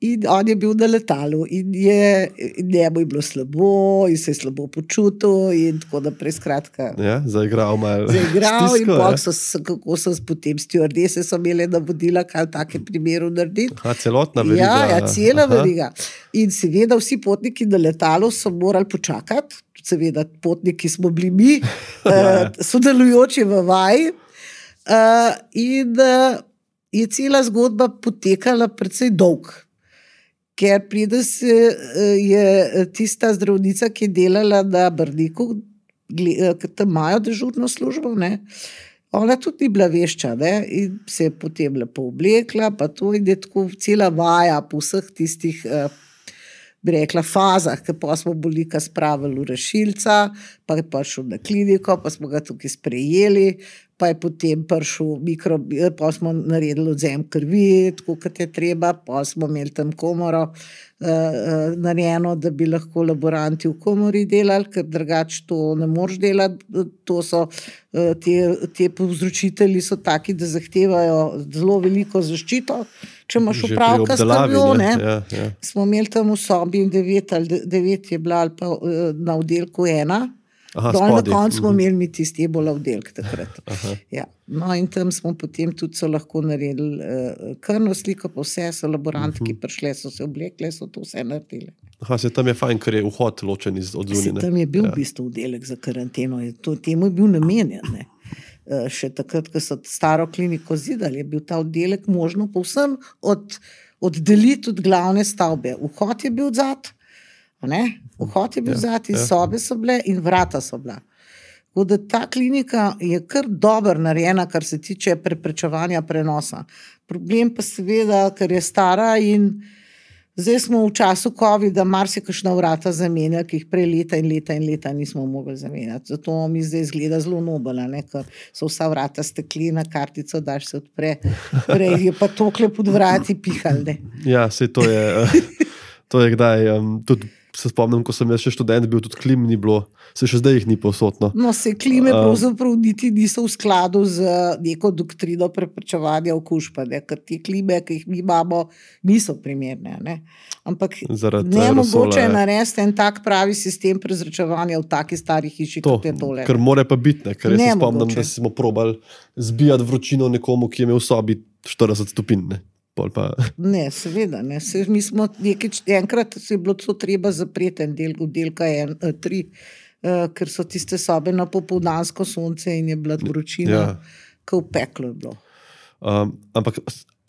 in on je bil na letalu in je, in njemu je bilo slabo in se je slabo počutil in tako naprej, skratka. Ja, zaigral malo. Zaigral stisko, in bok so, kako so potem stjuardese so imeli navodila, kaj v takem primeru narediti. Aha, celotna veriga. Ja, ja, cela veriga. In seveda vsi potniki na letalu so morali počakati, seveda potniki smo bili mi, ja. uh, sodelujoči v vaji uh, in uh, je cela zgodba potekala precej dolg. Ker pride se, je tista zdravnica, ki je delala na Brniku, ki tam imajo dežurno službo, ne, ona tudi ni bila vešča, ne, in se je potem lepo oblekla, pa to in je tako cela vaja po vseh tistih, bi rekla, fazah, ker pa smo bolnika spravili v rešilca, pa je prišel na kliniko, pa smo ga tukaj sprejeli, pa je potem prišel mikro, pa smo naredili odzem krvi, tako kot je treba, pa smo imeli tam komoro uh, uh, narejeno, da bi lahko laboranti v komori delali, ker drugače to ne moreš delati, to so, uh, te, te povzročitelji so taki, da zahtevajo zelo veliko zaščito, če imaš upravka s krvjo, ne, ja, ja. Smo imeli tam v sobi devet ali devet je bila ali pa uh, na oddelku ena, Aha, dol na koncu smo imeli mi tisti ebola oddelek takrat. Ja. No in tam smo potem tudi so lahko naredili uh, krvno sliko, pa vse so laboranti, uh-huh. ki prišle, so se oblekle, so to vse naredili. Aha, se tam je fajn, ker je vhod ločen iz od zunine. Tam je bil ja. v bistvu oddelek za karanteno, je to, temu je bil namenjen, ne. Uh, še takrat, ko so staro kliniko zidali, je bil ta oddelek možno povsem od, oddeliti od glavne stavbe. Vhod je bil odzad, ne? Vhod je bil ja, zati, ja. Sobe so bile in vrata so bila. Tako da ta klinika je kar dobro narejena, kar se tiče preprečevanja prenosa. Problem pa seveda, ker je stara in zdaj smo v času covida marsikakšna vrata zamenjali, ki jih prej leta in leta in leta nismo mogli zamenjati. Zato mi zdaj izgleda zelo nobela, ne? Ker so vsa vrata steklina, kartico daš se odpre, prej je pa tokle pod vrati pihal, ne? Ja, sej to je, to je kdaj, um, tudi se spomnim, ko sem jaz še študent bil, tudi klim ni bilo, se še zdaj jih ni povsodno. No, se klime pravzaprav niti niso v skladu z neko doktrino preprečevanja okužb, ne, ker te klime, ki jih mi imamo, niso primerne, ne. Ampak nemogoče je narediti en tak pravi sistem prezračevanja v taki stari hiši, to, kot je tole. Ker more pa biti, ne, ker jaz se spomnim, da smo probali zbijati vročino nekomu, ki je imel v sobi štirideset stopinj, ne. Pa... Ne, seveda, ne. Se, mi smo nekaj, enkrat se je bilo to treba zapreti en del, oddelka en, tri, uh, ker so tiste sobe na popoldansko sonce in je bila vročina, ja. Ko v peklo je bilo. Um, ampak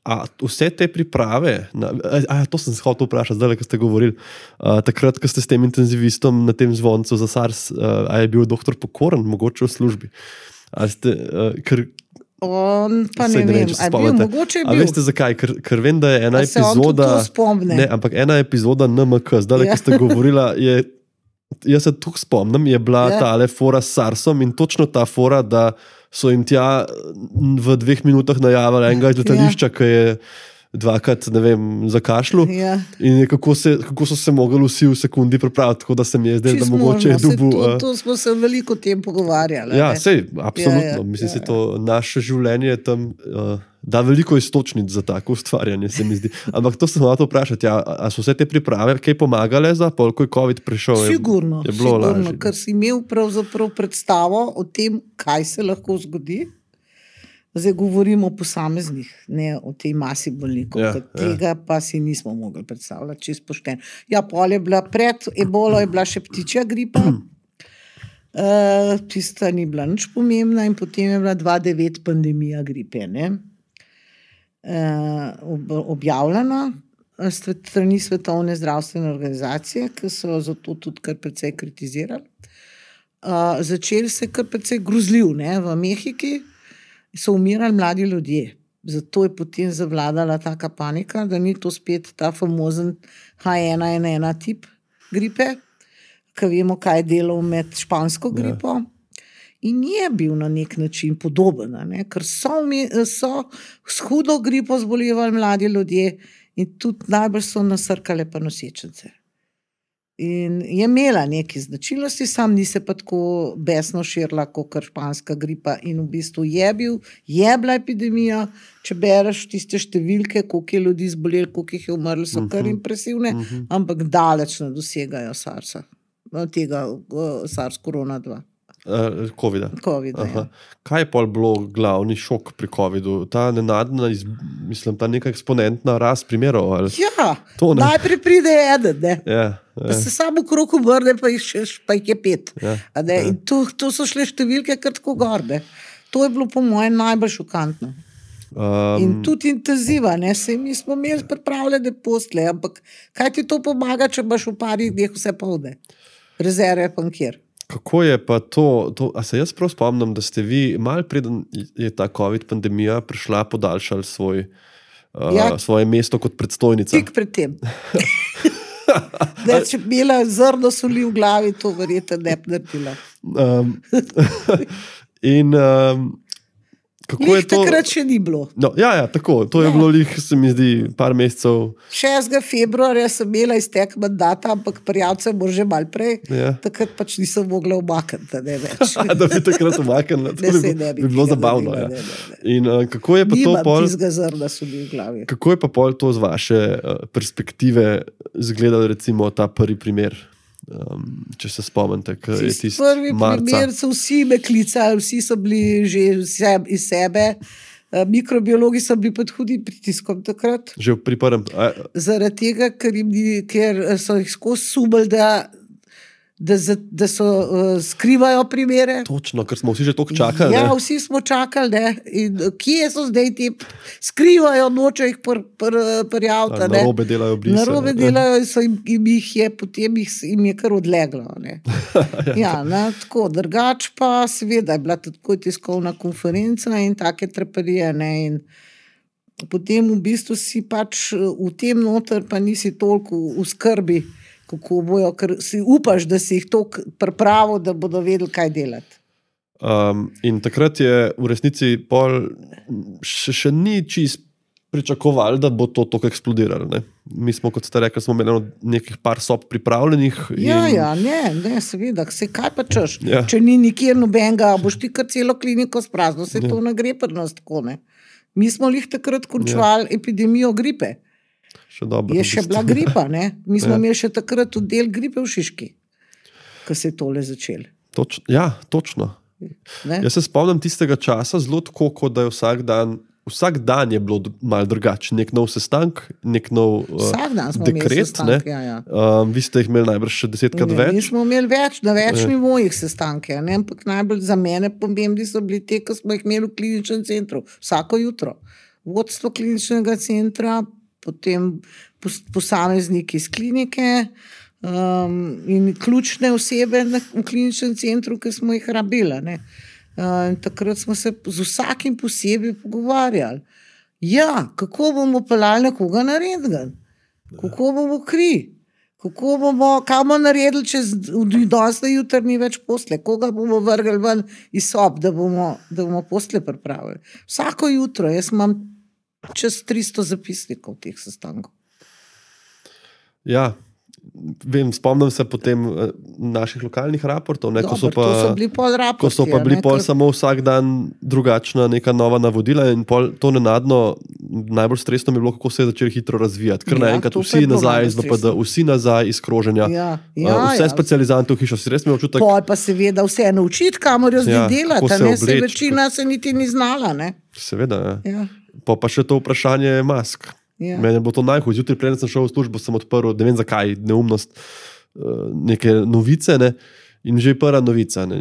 a, vse te priprave, na, a, to sem se hotel vprašati, zdaj, ko ste govorili, uh, takrat, ko ste s tem intenzivistom na tem zvoncu za SARS, uh, a je bil doktor Pokoren, mogoče v službi? A ste, uh, ker On pa ne, ne vem, a bil, mogoče je bil. A veste zakaj? Ker, ker vem, da je ena epizoda, ne, ampak ena epizoda N M K, zdaj, ja. Ki ste govorila, je, jaz se tukaj spomnim, je bila ja. Tale fora s SARSom in točno ta fora, da so jim tja v dveh minutah najavili enega iz letališča, ja. Ki je dvakrat, ne vem, zakašljal. Ja. In kako, se, kako so se mogli vsi v sekundi pripraviti, tako da se mi je zdaj, da mogoče je dubu. To, to smo se veliko tem pogovarjali. Ja, sej, absolutno. Ja, ja, Mislim, ja, ja. Se to naše življenje tam uh, da veliko istočnic za tako ustvarjanje, se mi zdi. Ampak to sem hotel vprašati, ja, a so vse te priprave kaj pomagale za pol, ko je COVID prišel? Sigurno, je, je bilo sigurno, lažje, ker si imel pravzaprav predstavo o tem, kaj se lahko zgodi. Zdaj govorimo o posameznih, ne o tej masi bolnikov, ja, tega ja. Pa si nismo mogli predstavljati, čisto pošteno. Ja, pol je bila pred ebolo, je bila še ptičja gripa, uh, tista ni bila nič pomembna in potem je bila dva tisoč devet pandemija gripe, ne, uh, ob, objavljena strani Svetovne zdravstvene organizacije, ki so zato tudi kar precej kritizirali. Uh, začeli se kar precej grozljiv, ne, v Mehiki so umirali mladi ljudje. Zato je potem zavladala taka panika, da ni to spet ta famozen H ena N ena tip gripe, ki vemo, kaj je delal med špansko gripo. Ja. In je bil na nek način podoben, ne? Ker so, so s hudo gripo zbolevali mladi ljudje in tudi najbolj so nasrkale pa nosečnice. In je imela neke značilnosti, sam ni se pa tako besno širila kot španska gripa in v bistvu je bil, je bila epidemija, če bereš tiste številke, koliko je ljudi zboleli, koliko jih je umrlo, so kar impresivne, uh-huh. ampak daleč ne dosegajo SARS-a, tega uh, SARS korona dva. Uh, Covida. Covida ja. Kaj je pol bilo glavni šok pri covidu? Ta nenadna, iz, mislim, ta neka eksponentna rast primerov? Ali? Ja, najprej pride eden, ne. Ja, ja. Se samo krog obrne, pa jih, še, pa jih je pet. Ja, ne? ja. In to, to so šle številke kar tako gor, ne. To je bilo po mojem najbolj šokantno. Um, in tudi intenziva, ne. Sej mi smo imeli pripravljene posle, ampak kaj ti to pomaga, če baš v parih dneh vse polne? Rezerve pa kjer. Kako je pa to, to, a se jaz prav spomnim, da ste vi, malo preden je ta COVID pandemija prišla, podaljšali svoj, uh, ja, svoje mesto kot predstojnica? Tik pred tem. Da, če bi imela zrno soli v glavi, to verjetno ne bi naredila. Um, in um, kako lih je to? Takrat še ni bilo. No, ja, ja, tako. To je ja. bilo lih, se mi zdi, par mesecev. šestega februarja sem imela iztek mandata, ampak prijavce bo že malo prej. Ja. Takrat pač nisem mogla umakniti, ne več. Da bi takrat umaknila. To bi, ne bi, bi bilo zabavno. Ja. Ne, ne, ne. In uh, kako je pa Nimam to pol... tizga zrna soli v glavi. Kako je pa pol to z vaše uh, perspektive izgledal recimo ta prvi primer? Um, če se spomnite, kaj je tisti prvi marca. Primer so vsi me klicali, vsi so bili že iz sebe, mikrobiologi so bili pod hudim pritiskom takrat. Že pri prvem? A... Zaradi tega, ker, jim, ker so jih skozi sumili, da, da, da so uh, skrivajo primere. Točno, ker smo vsi že toliko čakali. Ja, ne? vsi smo čakali, ne? In kje so zdaj ti skrivajo, nočejo jih prijaviti. Na robe delajo brise. Na robe delajo in, so jim, jim jih je, potem jih, jim je kar odleglo. Ne? Ja, ne, tako, drugač pa seveda je bila tako tiskovna konferenca in take treperije. Ne? In potem v bistvu si pač v tem noter pa nisi toliko v skrbi, kako bojo, ker si upaš, da si jih toliko pripravil, da bodo vedeli, kaj delati. Um, in takrat je v resnici pol še, še ni čist pričakovali, da bo to tako eksplodiralo. Ne? Mi smo, kot ste rekli, smo imeli nekih par sob pripravljenih. In... Ja, ja, ne, ne, seveda, se kaj pa češ, ja. Če ni nikjer nobenega, boš ti kar celo kliniko sprazno, se ja. To ne gre pri nas tako, ne. Mi smo lih takrat končvali ja. Epidemijo gripe. Še dobro, je še bila gripa, ne? Mi smo ja. imeli še takrat del gripe v Šiški, ko se je tole začel. Toč, ja, točno. Ne? Jaz se spomnim tistega časa zelo tako, kot da je vsak dan, vsak dan je bilo malo drugače. Nek nov sestank, nek nov uh, dekret. Sestank, ja, ja. Um, vi ste jih imeli najbrž še desetkrat ne, več. Mi smo imeli več, na več ja. Nivojih sestanke, ne? Ampak najbolj za mene pomembni so bili te, ko smo jih imeli v kliničnem centru. Vsako jutro. Vodstvo kliničnega centra, potem posamezniki iz klinike um, in ključne osebe v kliničnem centru, ki smo jih rabili. Ne? Uh, takrat smo se z vsakim posebej pogovarjali. Ja, kako bomo peljali nekoga na rentgen? Kako bomo kri? Kako bomo, kaj bomo naredili, če danes na jutr ni več posle? Koga bomo vrgli ven iz sob, da bomo, da bomo posle pripravili? Vsako jutro, jaz imam čez tristo zapisnikov teh sestankov. Ja, vem, spomnim se potem naših lokalnih raportov, ne, Dobar, ko so pa, so bili pol raporti, ko so pa bili ne, pol kar... samo vsak dan drugačna neka nova navodila in pol to nenadno, najbolj stresno mi je bilo, kako se je začeli hitro razvijati. Ker ja, naenkrat vsi nazaj iz V P D, vsi nazaj iz kroženja, ja, ja, vse ja. Specializante v hišo, si res mi občutek... Pol pa seveda vse naučiti, kamor jo zdaj ja, delati, se ne, obleč, se večina se niti ni znala, ne. Seveda, ja. Ja. Pa pa še to vprašanje mask. Ja. Mene bo to najhujš. Jutri preden sem šel v službo, sem odprl, ne vem zakaj, neumnost, neke novice, ne? In že prva novica, ne.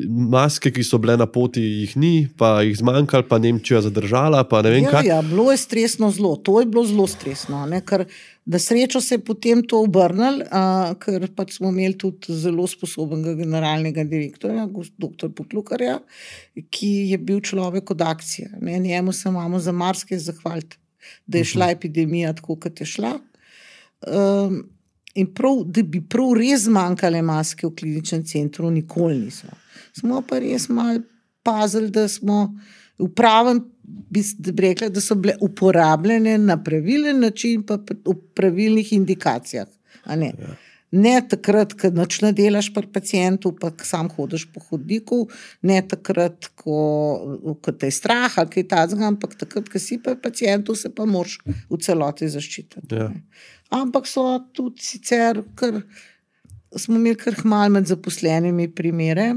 Maske, ki so bile na poti, jih ni, pa jih zmanjkalo, pa Nemčija zadržala, pa ne vem ja, kaj. Ja, bilo je stresno zelo, to je bilo zelo stresno, ne, ker da srečo se je potem to obrnilo, uh, ker pač smo imeli tudi zelo sposobnega generalnega direktorja, doktor Poklukarja, ki je bil človek od akcije. Ne, njemu se imamo za marsikaj zahvaliti, da je šla epidemija tako, kot je šla. Um, In prav, da bi prav res zmanjkale maske v kliničnem centru, nikoli niso. Smo pa res malo pazili, da smo v pravem, bi rekla, da so bile uporabljene na pravilen način, pa v pravilnih indikacijah. A ne? Ja. Ne takrat, ko nič ne delaš pri pacientu, pa sam hodiš po hodniku, ne takrat, ko, ko te je strah ali kaj takega, ampak takrat, ko si pri pacientu, se pa moraš v celoti zaščititi. Ja. Ampak so tudi sicer, ker smo imeli kar malo med zaposlenimi primere,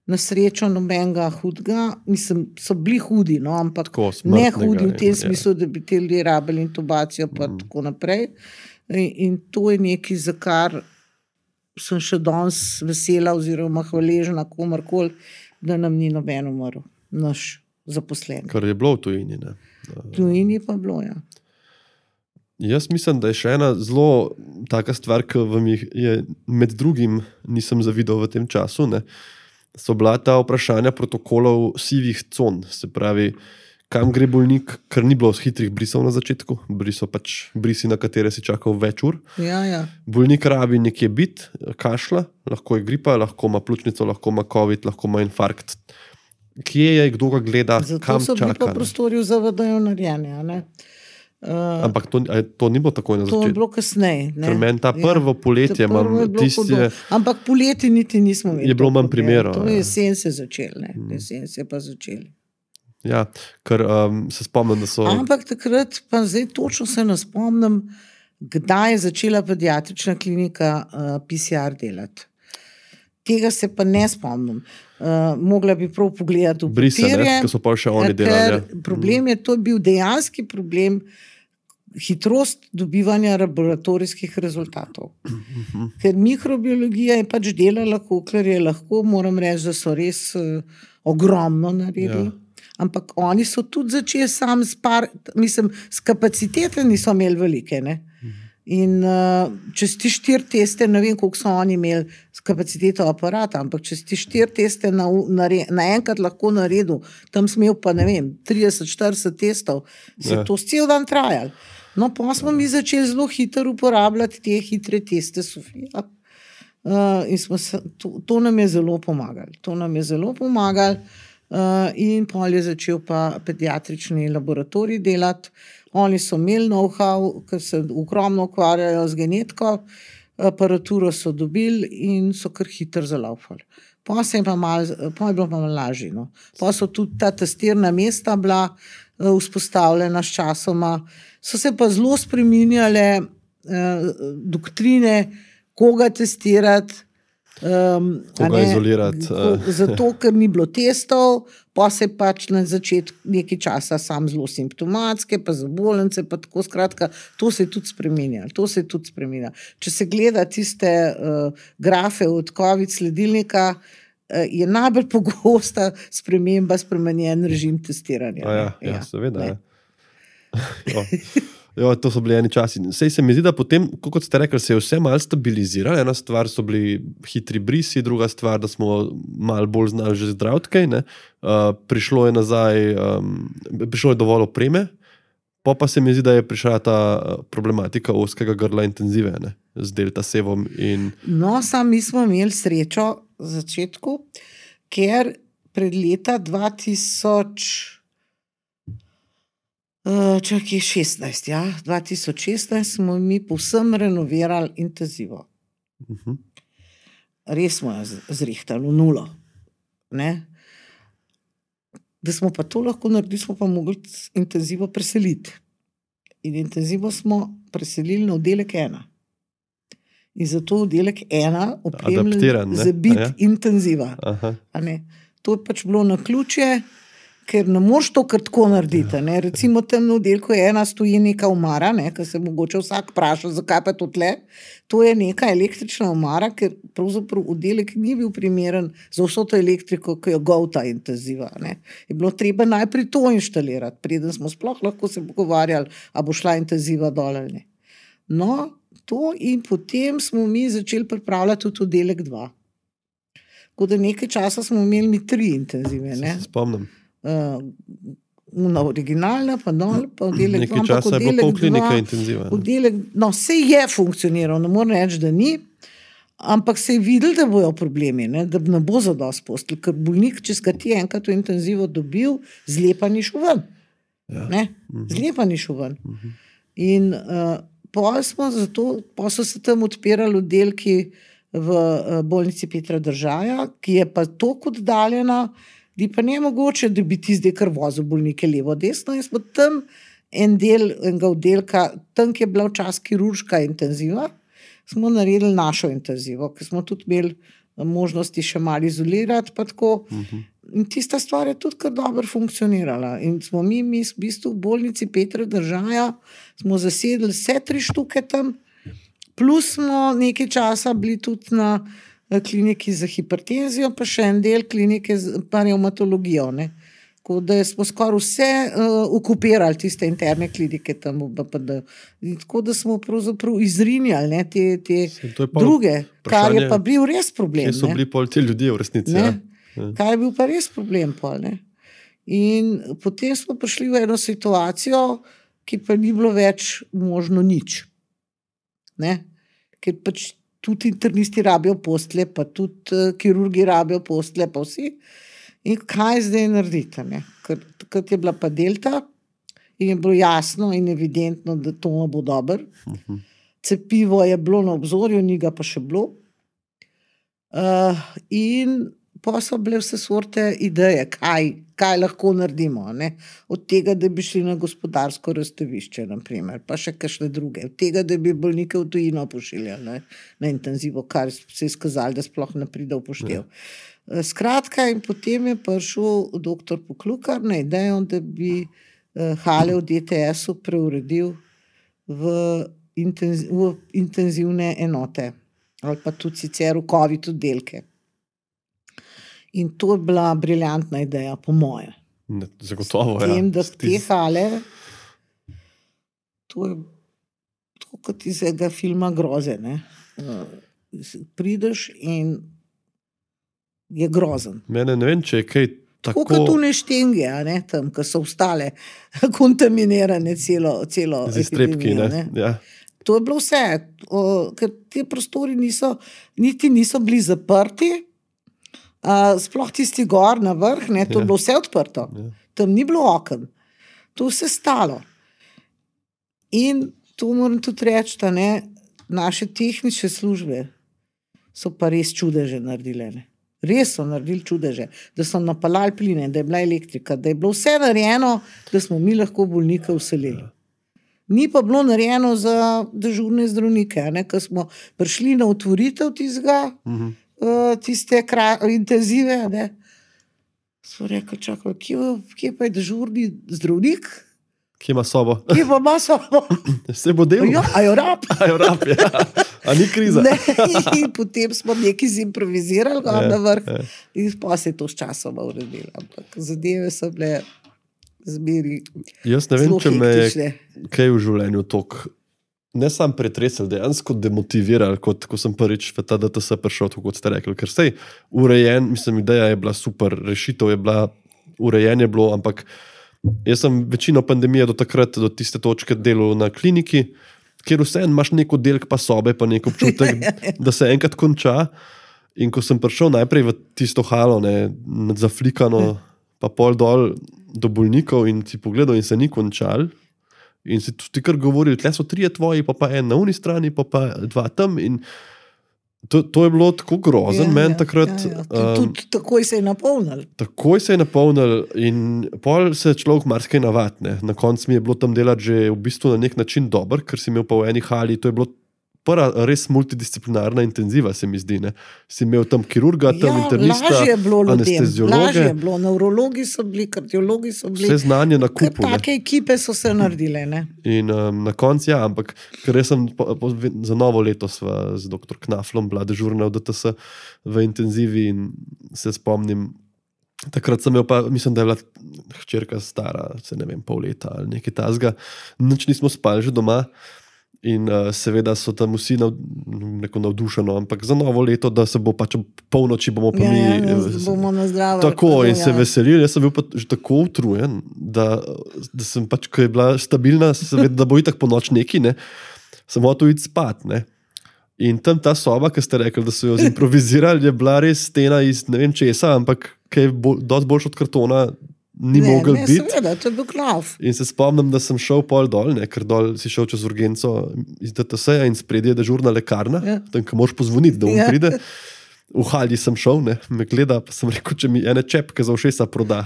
na srečo nobenega hudega, mislim, so bili hudi, no, ampak ne hudi v tem smislu, da bi te ljudje rabili intubacijo, pa mm. tako naprej. In, in to je nekaj, za kar sem še danes vesela oziroma hvaležna komarkoli, da nam ni noben umrl, naš zaposlen. Kar je bilo v tujini, ne? V tujini pa bilo, ja. Jaz mislim, da je še ena zelo taka stvar, ki vam je med drugim nisem zavidel v tem času, ne, so bila ta vprašanja protokolov sivih con, se pravi, kam gre bolnik, ker ni bilo hitrih brisov na začetku, briso pač brisi, na katere si čakal več ur. Ja, ja. Bolnik rabi nekje bit, kašla, lahko je gripa, lahko ima pljučnico, lahko ima covid, lahko ima infarkt. Kje je, kdo ga gleda, zato kam čaka? Zato so bili pa prostori v Z V D-ju narejeni, ne? Uh, Ampak to, to ni bilo takoj na začetku. To je bilo kasneje. Ker meni ta prvo ja, poletje imam tiste... Ampak poleti niti nismo imeli. Je bilo manj primerov. To je jesen se začel, ne. Jesen se pa začeli. Ja, ker um, se spomnim, da so... Ampak takrat, pa zdaj točno se ne spomnim, kdaj je začela pediatrična klinika uh, P C R delati. Tega se pa ne spomnim. Uh, mogla bi prav pogledati v Brise, papirje. Ki so pa še oni delali. Problem je, to je bil dejanski problem, hitrost dobivanja laboratorijskih rezultatov. Ker mikrobiologija je pač delala, kolikor je lahko, moram reči, da so res uh, ogromno naredili. Ja. Ampak oni so tudi začeli sam s par, mislim, s kapacitete niso imeli velike, ne. In uh, če si ti štiri teste, ne vem, koliko so oni imeli s kapaciteto aparata, ampak če si ti štiri teste na, na, na enkrat lahko naredil, tam si imel pa, ne vem, trideset štirideset testov, se je to cel dan trajalo. No, pa smo mi začeli zelo hitro uporabljati te hitre teste, Sofija. Uh, in smo se, to, to nam je zelo pomagalo. To nam je zelo pomagalo uh, in pol je začel pa pediatrični laboratorij delati. Oni so imeli know-how, ker se ogromno ukvarjajo z genetiko, aparaturo so dobili in so kar hitro zalaufali. Pa se je pa malo, pa je bilo pa malo lažje, no. Pa so tudi ta testirna mesta bila uh, vzpostavljena s časoma. So se pa zelo spreminjale uh, doktrine, koga testirati, Um, koga izolirati. Zato, ker ni bilo testov, pa se pač na začetku nekaj časa sam zelo simptomatske, pa za bolnice, pa tako skratka, to se je tudi spremenjalo. To se je tudi spremenjalo. Če se gleda tiste uh, grafe od COVID sledilnika, uh, je najbolj pogosta sprememba spremenjen režim testiranja. A ja, ja, ja, seveda. Ja. Jo, to so bili eni časi. Sej se mi zdi, da potem, kot ste rekli, se je vse malo stabiliziralo. Ena stvar so bili hitri brisi, druga stvar, da smo malo bolj znali že zdraviti kaj, ne. Uh, prišlo je nazaj, um, prišlo je dovolj opreme, pa pa se mi zdi, da je prišla ta problematika ozkega grla intenzive, ne, z delta sevom in... No, sam mi smo imeli srečo v začetku, ker pred leta dva tisoč Čakaj, šestnajst, ja, dva tisoč šestnajst smo mi povsem renovirali intenzivo. Uh-huh. Res smo jo zrihtali v nulo. Ne? Da smo pa to lahko naredili, smo pa mogli intenzivo preseliti. In intenzivo smo preselili na oddelek ena. In zato oddelek ena opremljen za bit ja? intenziva. A ne? To je pač bilo na ključje, ker ne moreš to kar tako narediti. Ne? Recimo tam na oddelku je ena stoji neka omara, ne? Ker se mogoče vsak vpraša, zakaj pa to tle. To je neka električna omara, ker pravzaprav oddelek ni bil primeren za vso to elektriko, ki jo golta intenziva. Ne? Je bilo treba najprej to inštalirati, preden smo sploh lahko se pogovarjali, a bo šla intenziva dol ali ne. No, to in potem smo mi začeli pripravljati tudi oddelek dva. Tako da nekaj časa smo imeli mi tri intenzive. Ne? Se spomnim. Uh, na originalna, pa dol, pa oddelek nekaj časa je bilo pol klinika intenziva. Oddelek, no, vse je funkcioniral, ne moram reči, da ni, ampak se je videl, da bojo problemi, ne, da ne bo zadost postelj, ker bolnik, če skati enkrat v intenzivo dobil, zlepa ni šel ven. Ja. Ne, zlepa ni šel ven. Uh-huh. In uh, pol smo zato, pol so se tam odpirali oddelki v uh, bolnici Petra Držaja, ki je pa toliko oddaljena, di pa ne mogoče, da bi ti zdaj kar vozil bolnike levo, desno, in smo tam en del enega oddelka, tam, ki je bila včasih kirurška intenziva, smo naredili našo intenzivo, ker smo tudi imeli možnosti še malo izolirati, pa tako. Uh-huh. In tista stvar je tudi kar dobro funkcionirala. In smo mi, mi v bistvu v bolnici Petra Držaja, smo zasedli vse tri štuke tam, plus smo nekaj časa bili tudi na kliniki za hipertenzijo, pa še en del klinike za revmatologijo. Tako da smo skoraj vse uh, okupirali tiste interne klinike tam v B P D. Tako da smo pravzaprav izrinjali ne, te, te druge, kar je pa bil res problem. Kje so bili pol ti ljudje v resnici? Ne? Ja. Kaj je bil pa res problem pol, ne? In potem smo prišli v eno situacijo, ki pa ni bilo več možno nič. Ne? Ker pač tudi internisti rabijo postelje, pa tudi uh, kirurgi rabijo postelje, pa vsi. In kaj zdaj narediti? Ne? Ker takrat je bila pa delta in je bilo jasno in evidentno, da to ne bo dobro. Uh-huh. Cepivo je bilo na obzorju, ni ga pa še bilo. Uh, in pa so bile vse sorte ideje, kaj, kaj lahko naredimo. Ne? Od tega, da bi šli na gospodarsko razstavišče, naprimer, pa še kakšne druge. Od tega, da bi bolnike v tujino pošiljali ne? Na intenzivo, kar se je skazalo, da sploh ne pride v poštev. Ja. Skratka, in potem je prišel doktor Poklukar na idejo, da bi uh, hale v D T S-u preuredil v, intenziv, v intenzivne enote ali pa tudi sicer v COVID oddelke. In to je bila briljantna ideja, po moje. Ne, zagotovo, ja. Tem, da Stis... te hale, to je to kot iz enega filma groze, ne. Prideš in je grozen. Mene ne vem, če je kaj tako... Tako kot tune štenge, ne, tam, ki so ostale kontaminirane celo, celo z iztrebki, epidemijo, ne. ne. Ja. To je bilo vse, o, ker ti prostori niso, niti niso bili zaprti, a, sploh tisti gor na vrh, ne, to ja. Je bilo vse odprto. Ja. Tam ni bilo oken. To vse stalo. In to moram tudi reči, da ne, naše tehnične službe so pa res čudeže naredile. Ne. Res so naredili čudeže, da so napalali pline, da je bila elektrika, da je bilo vse narejeno, da smo mi lahko bolnika vselili. Ja. Ni pa bilo narejeno za dežurne zdravnike, ne, ker smo prišli na otvoritev tistega, uh-huh. uh, tiste kra, intenzive, ne. Smo rekli, čakaj, kje, kje pa je dežurni zdravnik? Kje ima sobo? Kje pa ima sobo? Se bo delal? Ja, a jo rab? A jo rab, ja. A ni kriza? Ne, in potem smo nekaj zimprovizirali ja, na vrh ja. In pa se je to s časoma uredilo. Ampak zadeve so bile zmeri. Jaz ne vem, če me je kaj v življenju tok ne sam pretresel, dejansko demotiviral, kot ko sem prvič v ta D T S prišel, kot ste rekli, ker sej urejen, mislim, ideja je bila super, rešitev je bila, urejen je bilo, ampak jaz sem večino pandemije do takrat, do tiste točke delal na kliniki, kjer vseeno imaš nek oddelek pa sobe, pa nek občutek, da se enkrat konča. In ko sem prišel najprej v tisto halo, ne, zaflikano, pa pol dol do bolnikov in si pogledal in se ni končal. In si ti kar govoril, tle so trije tvoji, pa pa en na uni strani, pa pa dva tam. In to, to je bilo tako grozen, ja, meni ja, takrat. Ja, ja. Um, Tudi takoj se je napolnil. Takoj se je napolnil in pol se človek marsikaj navadi. Na koncu mi je bilo tam delati že v bistvu na nek način dober, ker si imel pa v eni hali, to je bilo prva res multidisciplinarna intenziva, se mi zdi. Ne? Si imel tam kirurga, tam Ja, internista, lažje je bilo ljudem, lažje anesteziologe, je bilo, nevrologi so bili, kardiologi so bili. vse znanje na Kar kupu. ne. take ekipe so se naredile, ne. In um, na koncu, ja, ampak ker jaz sem po, po, za novo leto sva z doktor Knaflom bila dežurna v D T S v intenzivi in se spomnim, takrat sem imel pa, mislim, da je bila hčerka stara, se ne vem, pol leta ali nekaj tazga, nič nismo spali že doma in uh, seveda so tam vsi nav, neko navdušeno, ampak za novo leto, da se bo pač polnoči bomo pa Ja, mi... ja, eh, da bomo na zdravo. Tako in ja. se veselili, jaz sem bil pa že tako utrujen, da, da sem pač, ko je bila stabilna, seveda, da bo itak po noč neki, ne, sem hotel iti spat, ne. In tam ta soba, ki ste rekli, da so jo zimprovizirali, je bila res stena iz ne vem česa, ampak ki je bolj, dosti boljš od kartona, ni Ne, mogel ne, biti. seveda, to je bil klav. In se spomnim, da sem šel pol dol, ne, ker dol si šel čez urgenco iz D T S-ja in spredje je dežurna lekarna, Ja. tam, ki moraš pozvoniti, da on Ja. pride. V halji sem šel, ne, me gleda, pa sem rekel, če mi ene čepke za ušesa proda.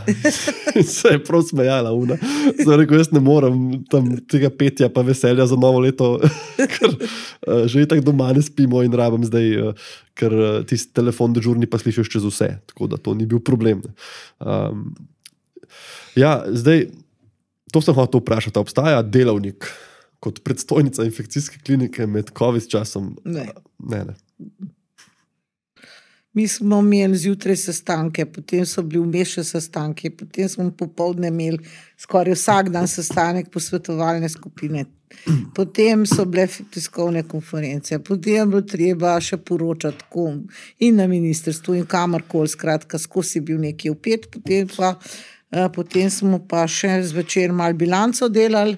In se je prav smejala, una. Sem rekel, jaz ne morem tam tega petja pa veselja za novo leto, ker uh, že itak doma ne spimo in rabim zdaj, uh, ker uh, tisti telefon dežurni pa slišiš čez vse, tako da to ni bil problem. Ne. Um, ja, zdaj, to sem hotel vprašati, a obstaja delavnik kot predstojnica infekcijske klinike med COVID časom? Ne. Ne, ne. Mi smo imeli zjutraj sestanke, potem so bili vmes še sestanki, potem smo popoldne imeli skoraj vsak dan sestanek posvetovalne skupine. Potem so bile tiskovne konference, potem je bilo treba še poročati kom in na ministrstvu in kamorkoli, skratka, skozi je bil nekaj vpet, potem pa eh, potem smo pa še zvečer malo bilanco delali.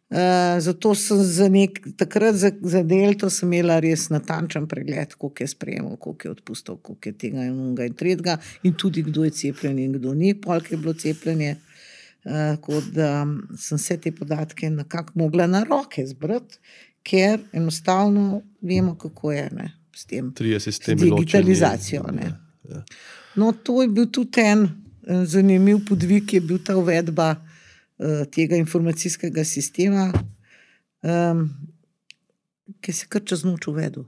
Uh, zato sem za nek, takrat za, za delto sem imela res natančen pregled, koliko je sprejemal, koliko je odpustil, koliko je tega in unga in tretjega in tudi kdo je cepljen in kdo ni, polk je bilo cepljenje. Uh, kot da sem vse te podatke nekako mogla na roke zbrati, ker enostavno vemo, kako je ne, s tem, Trije s sistemi digitalizacijo. ločeni. Ne. Ja. No, to je bil tudi en eh, zanimiv podvig, je bil ta uvedba tega informacijskega sistema, um, ki se kar čez noč uvedel.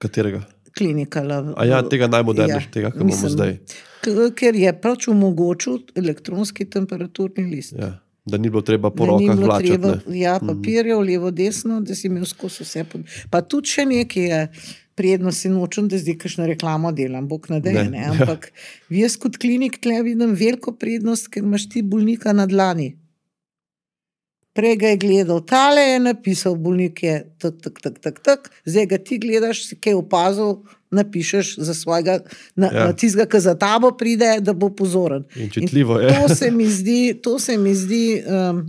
Katerega? Klinika. A ja, tega najmodernejšega, ja, tega, ki imamo zdaj. K- ker je pač omogočil elektronski temperaturni list. Ja. Da ni bilo treba po Da ni rokah bilo vlačati. treba, ne. ja, papirjev, levo, desno, da si imel skozi vse. Pod... Pa tudi še nekaj je prijedno, si nočem, da zdaj kakšno reklamo delam, bog ne dej, Ne, ne, ja. ampak jaz kot klinik tle vidim veliko prednost, ker imaš ti bolnika na dlani. Prej ga je gledal, tale je napisal, bolnik je tak, tak, tak, tak, tak, zdaj ga ti gledaš, si kaj opazil, napišeš za svojega, na, Ja. na tistega, ki za tabo pride, da bo pozoren. In čitljivo je. To se mi zdi, to se mi zdi, um,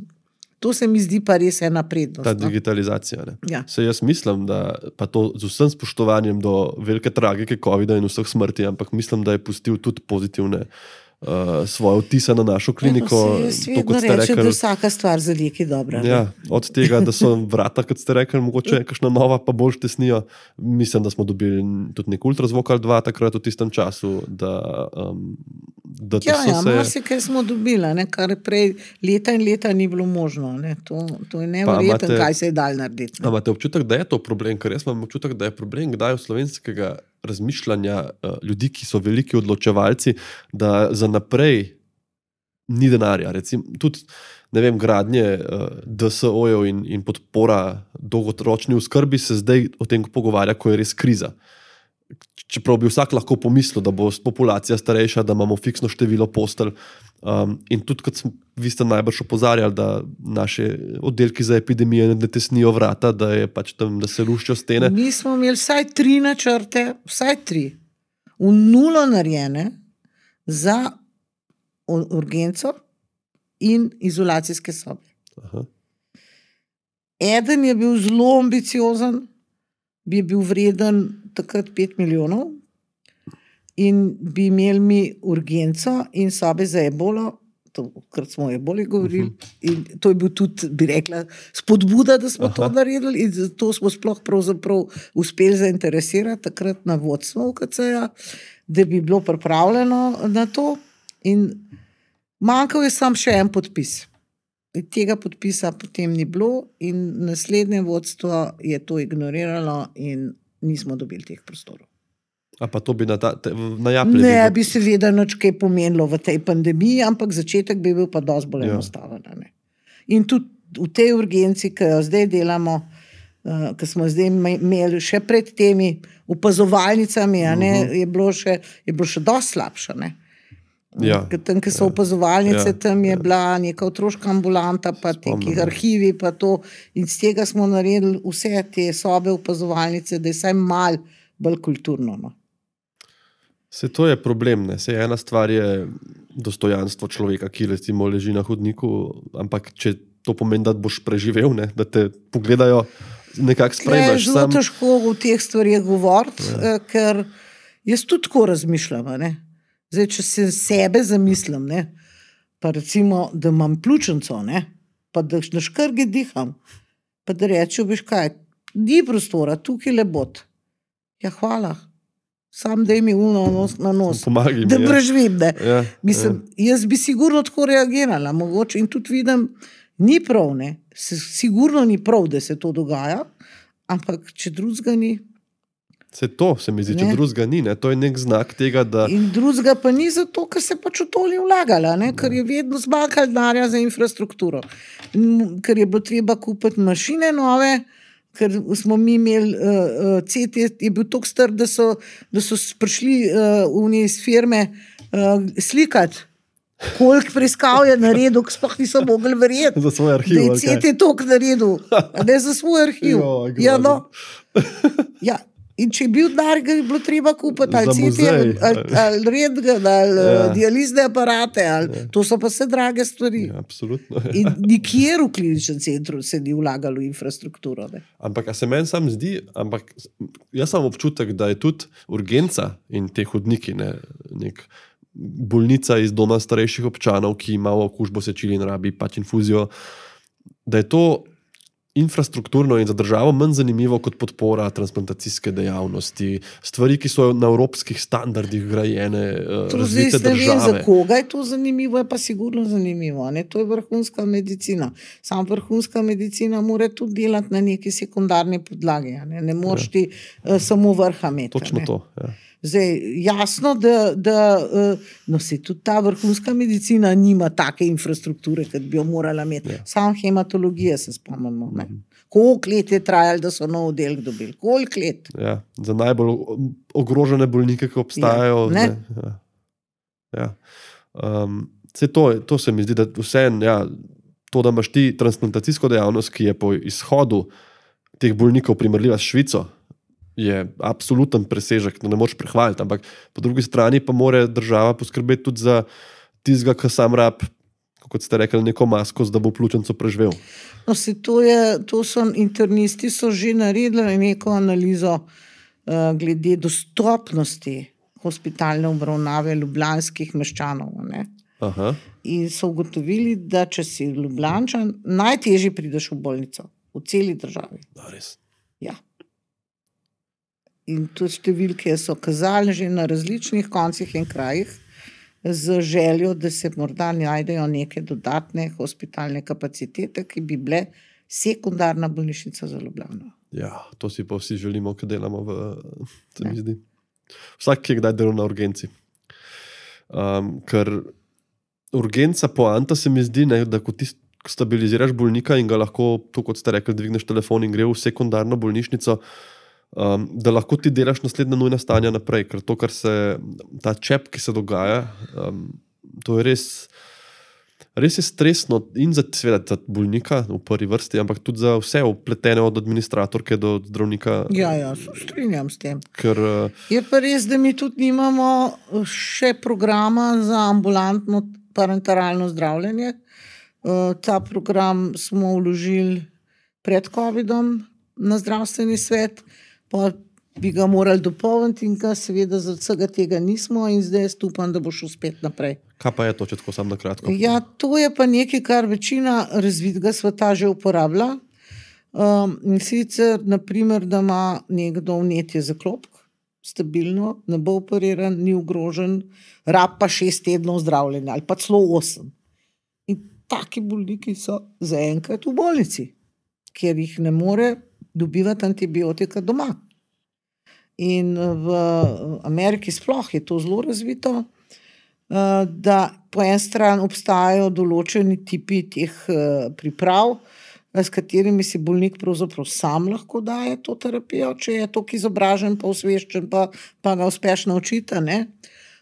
to se mi zdi pa res ena prednost. Ta no. digitalizacija. Ne. Ja. Se jaz mislim, da pa to z vsem spoštovanjem do velike tragike covida in vseh smrti, ampak mislim, da je pustil tudi pozitivne uh, svoje vtise na našo kliniko. Ja, jaz To, kot vedno ste rečem, rekli, da vsaka stvar za nekaj dobra. ne. ja, od tega, da so vrata, kot ste rekli, mogoče kakšna nova, pa bolj tesnijo. Mislim, da smo dobili tudi nek ultrazvok ali dva takrat v tistem času, da, um, da to Ja, so ja, se... marsikaj smo dobila, ne, kar prej leta in leta ni bilo možno. Ne. To, to je neverjetno, imate- kaj se je dal narediti. A imate občutek, da je to problem? Ker jaz imam občutek, da je problem kdaj v slovenskega razmišljanja uh, ljudi, ki so veliki odločevalci, da za naprej ni denarja. Recimo, tudi ne vem, gradnje uh, D S O-jev in, in podpora dolgoročni oskrbi se zdaj o tem pogovarja, ko je res kriza. Čeprav bi vsak lahko pomislil, da bo populacija starejša, da imamo fiksno število postelj. Um, in tudi, kot smo, vi ste najbrž opozarjali, da naše oddelki za epidemije ne tesnijo vrata, da, je pač tam, da se luščijo stene. Mi smo imeli vsaj tri načrte, vsaj tri, v nulo narejene za u- urgenco in izolacijske sobe. Aha. Eden je bil zelo ambiciozen, bi bil vreden takrat pet milijonov in bi imeli mi urgenco in sobe za ebolo, takrat smo o eboli govorili, in to je bil tudi, bi rekla, spodbuda, da smo Aha. to naredili in zato smo sploh pravzaprav uspeli zainteresirati takrat na vodstvo U K C-ja, da bi bilo pripravljeno na to in manjkal je sam še en podpis. tega podpisa potem ni bilo in naslednje vodstvo je to ignoriralo in nismo dobili teh prostorov. A pa to bi na, ta, te, na Japljevi? Ne bi seveda nič kaj pomenilo v tej pandemiji, ampak začetek bi bil pa dosti bolj Ja. enostaven. Ne? In tudi v tej urgenci, ki jo zdaj delamo, uh, ki smo zdaj me- imeli še pred temi opazovalnicami, a ne, je bilo še, je bilo še dosti slabše. Ne? Ja. Ker tam, ki so opazovalnice, Ja. tam je bila neka otroška ambulanta, pa Spomnim, neki ja. arhivi, pa to. In z tega smo naredili vse te sobe opazovalnice, da je vsaj mal bolj kulturno. No. Se to je problem, ne? Se ena stvar je dostojanstvo človeka, ki recimo leži na hodniku, ampak če to pomeni, da boš preživel, ne? Da te pogledajo, nekako Tle je sprejmeš zelo sam. težko v teh stvarih govoriti, ja. ker jaz tudi tako razmišljam. a Ne? Zdaj, če se sebe zamislim, ne? Pa recimo, da imam pljučnico, ne? Pa da na škrge diham, pa da rečem, veš kaj, ni prostora, tukaj le bod. Ja, hvala. Sam daj mi uno nos na nos, Pomagaj mi, da ja. preživim. Ne? Ja, Mislim, jaz bi sigurno tako reagirala, mogoče in tudi vidim, ni prav, ne. Se, sigurno ni prav, da se to dogaja, ampak če drugega ni. Se to, se mi zdi, če Ne. drugega ni, ne? To je nek znak tega, da In drugega pa ni zato, ker se pač v to ni vlagala, ne? Ker je vedno zmanjkalo denarja za infrastrukturo. In ker je bilo treba kupiti mašine nove, ker smo mi imeli uh, C T, je bil tako star, da so, da so prišli uh, iz firme uh, slikati. Koliko preiskav je naredil, ki sploh niso mogli verjeti, za svoj da arhiv. je ali kaj? C T toliko naredil, a ne za svoj arhiv. Joj, Ja, no. grozno. Ja. In če je bil denar, ga je bilo treba kupiti, ali Za C T, muzej. ali, ali, ali rentgen, ali Ja. ja. dializne aparate, ali, ja. To so pa vse drage stvari. Ja, absolutno. In nikjer v kliničnem centru se ni vlagalo v infrastrukturo. Ne. Ampak, a se meni sam zdi, ampak jaz imam občutek, da je tudi urgenca in te hodniki, ne, nek bolnica iz doma starejših občanov, ki ima okužbo sečil in rabi pač infuzijo, da je to infrastrukturno in za državo manj zanimivo kot podpora transplantacijske dejavnosti, stvari, ki so na evropskih standardih grajene, eh, To zdaj razvite ne vem, za države. koga je to zanimivo, je pa sigurno zanimivo. Ne? To je vrhunska medicina. Sam vrhunska medicina mora tudi delati na neki sekundarni podlagi. a Ne, ne moreš ti uh, samo vrha imeti. a Točno ne. to. Ja. Zdaj, jasno, da, da uh, no, se tudi ta vrhunska medicina nima take infrastrukture, kot bi jo morala imeti. Ja. Sam hematologija se spomnimo. Ne? Koliko let je trajalo, da so nov oddelek dobili? Koliko let? Ja, za najbolj o- ogrožene bolnike, ki obstajajo. Ja, ne. ne, ja. Ja. Um, saj to, to se mi zdi, da vseeno, ja, to, da imaš ti transplantacijsko dejavnost, ki je po izhodu teh bolnikov primerljiva s Švico, je absoluten presežek, no ne moreš prehvaliti, ampak po drugi strani pa mora država poskrbeti tudi za tistega, ki sam rab, kot ste rekli, neko masko, da bo pljučnico preživel. No, se to, je, to so internisti so že naredili neko analizo uh, glede dostopnosti hospitalne obravnave ljubljanskih meščanov. a Ne? Aha, In so ugotovili, da če si Ljubljančan, najtežje prideš v bolnico v celi državi. da, res. Ja. In tudi številke so kazali že na različnih koncih in krajih z željo, da se morda najdejo neke dodatne hospitalne kapacitete, ki bi bile sekundarna bolnišnica za Ljubljano. Ja, to si pa vsi želimo, ki delamo v, se mi zdi. Vsak, ki je kdaj delal na urgenci. Um, ker urgenca poanta se mi zdi, ne, da ko ti stabiliziraš bolnika in ga lahko, to kot ste rekli, dvigneš telefon in gre v sekundarno bolnišnico, um, da lahko ti delaš naslednja nujna stanja naprej, ker to, kar se, ta čep, ki se dogaja, um, to je res, res je stresno in za, seveda, za bolnika v prvi vrsti, ampak tudi za vse upletene od administratorke do zdravnika. Ja, ja, se strinjam s tem. Ker, uh, Je pa res, da mi tudi nimamo še programa za ambulantno parenteralno zdravljenje. Uh, ta program smo vložili pred covidom na zdravstveni svet, pa bi ga morali dopolniti in ga seveda zaradi vsega tega nismo in zdaj jaz upam, da bo šel spet naprej. kaj pa je to, če tako sam na kratko? Ja, to je pa nekaj, kar večina razvitega sveta že uporablja. Um, in sicer, naprimer, da ima nekdo vnetje zaklopk, stabilno, ne bo operiran, ni ogrožen, rab pa šest tednov zdravljenja ali pa celo osem. In taki bolniki so zaenkrat v bolnici, ker jih ne more dobivati antibiotika doma. In v Ameriki sploh je to zelo razvito, da po en stran obstajajo določeni tipi teh priprav, s katerimi si bolnik pravzaprav sam lahko daje to terapijo, če je toliko izobražen, pa osveščen, pa, pa ga uspeš naučiti, ne.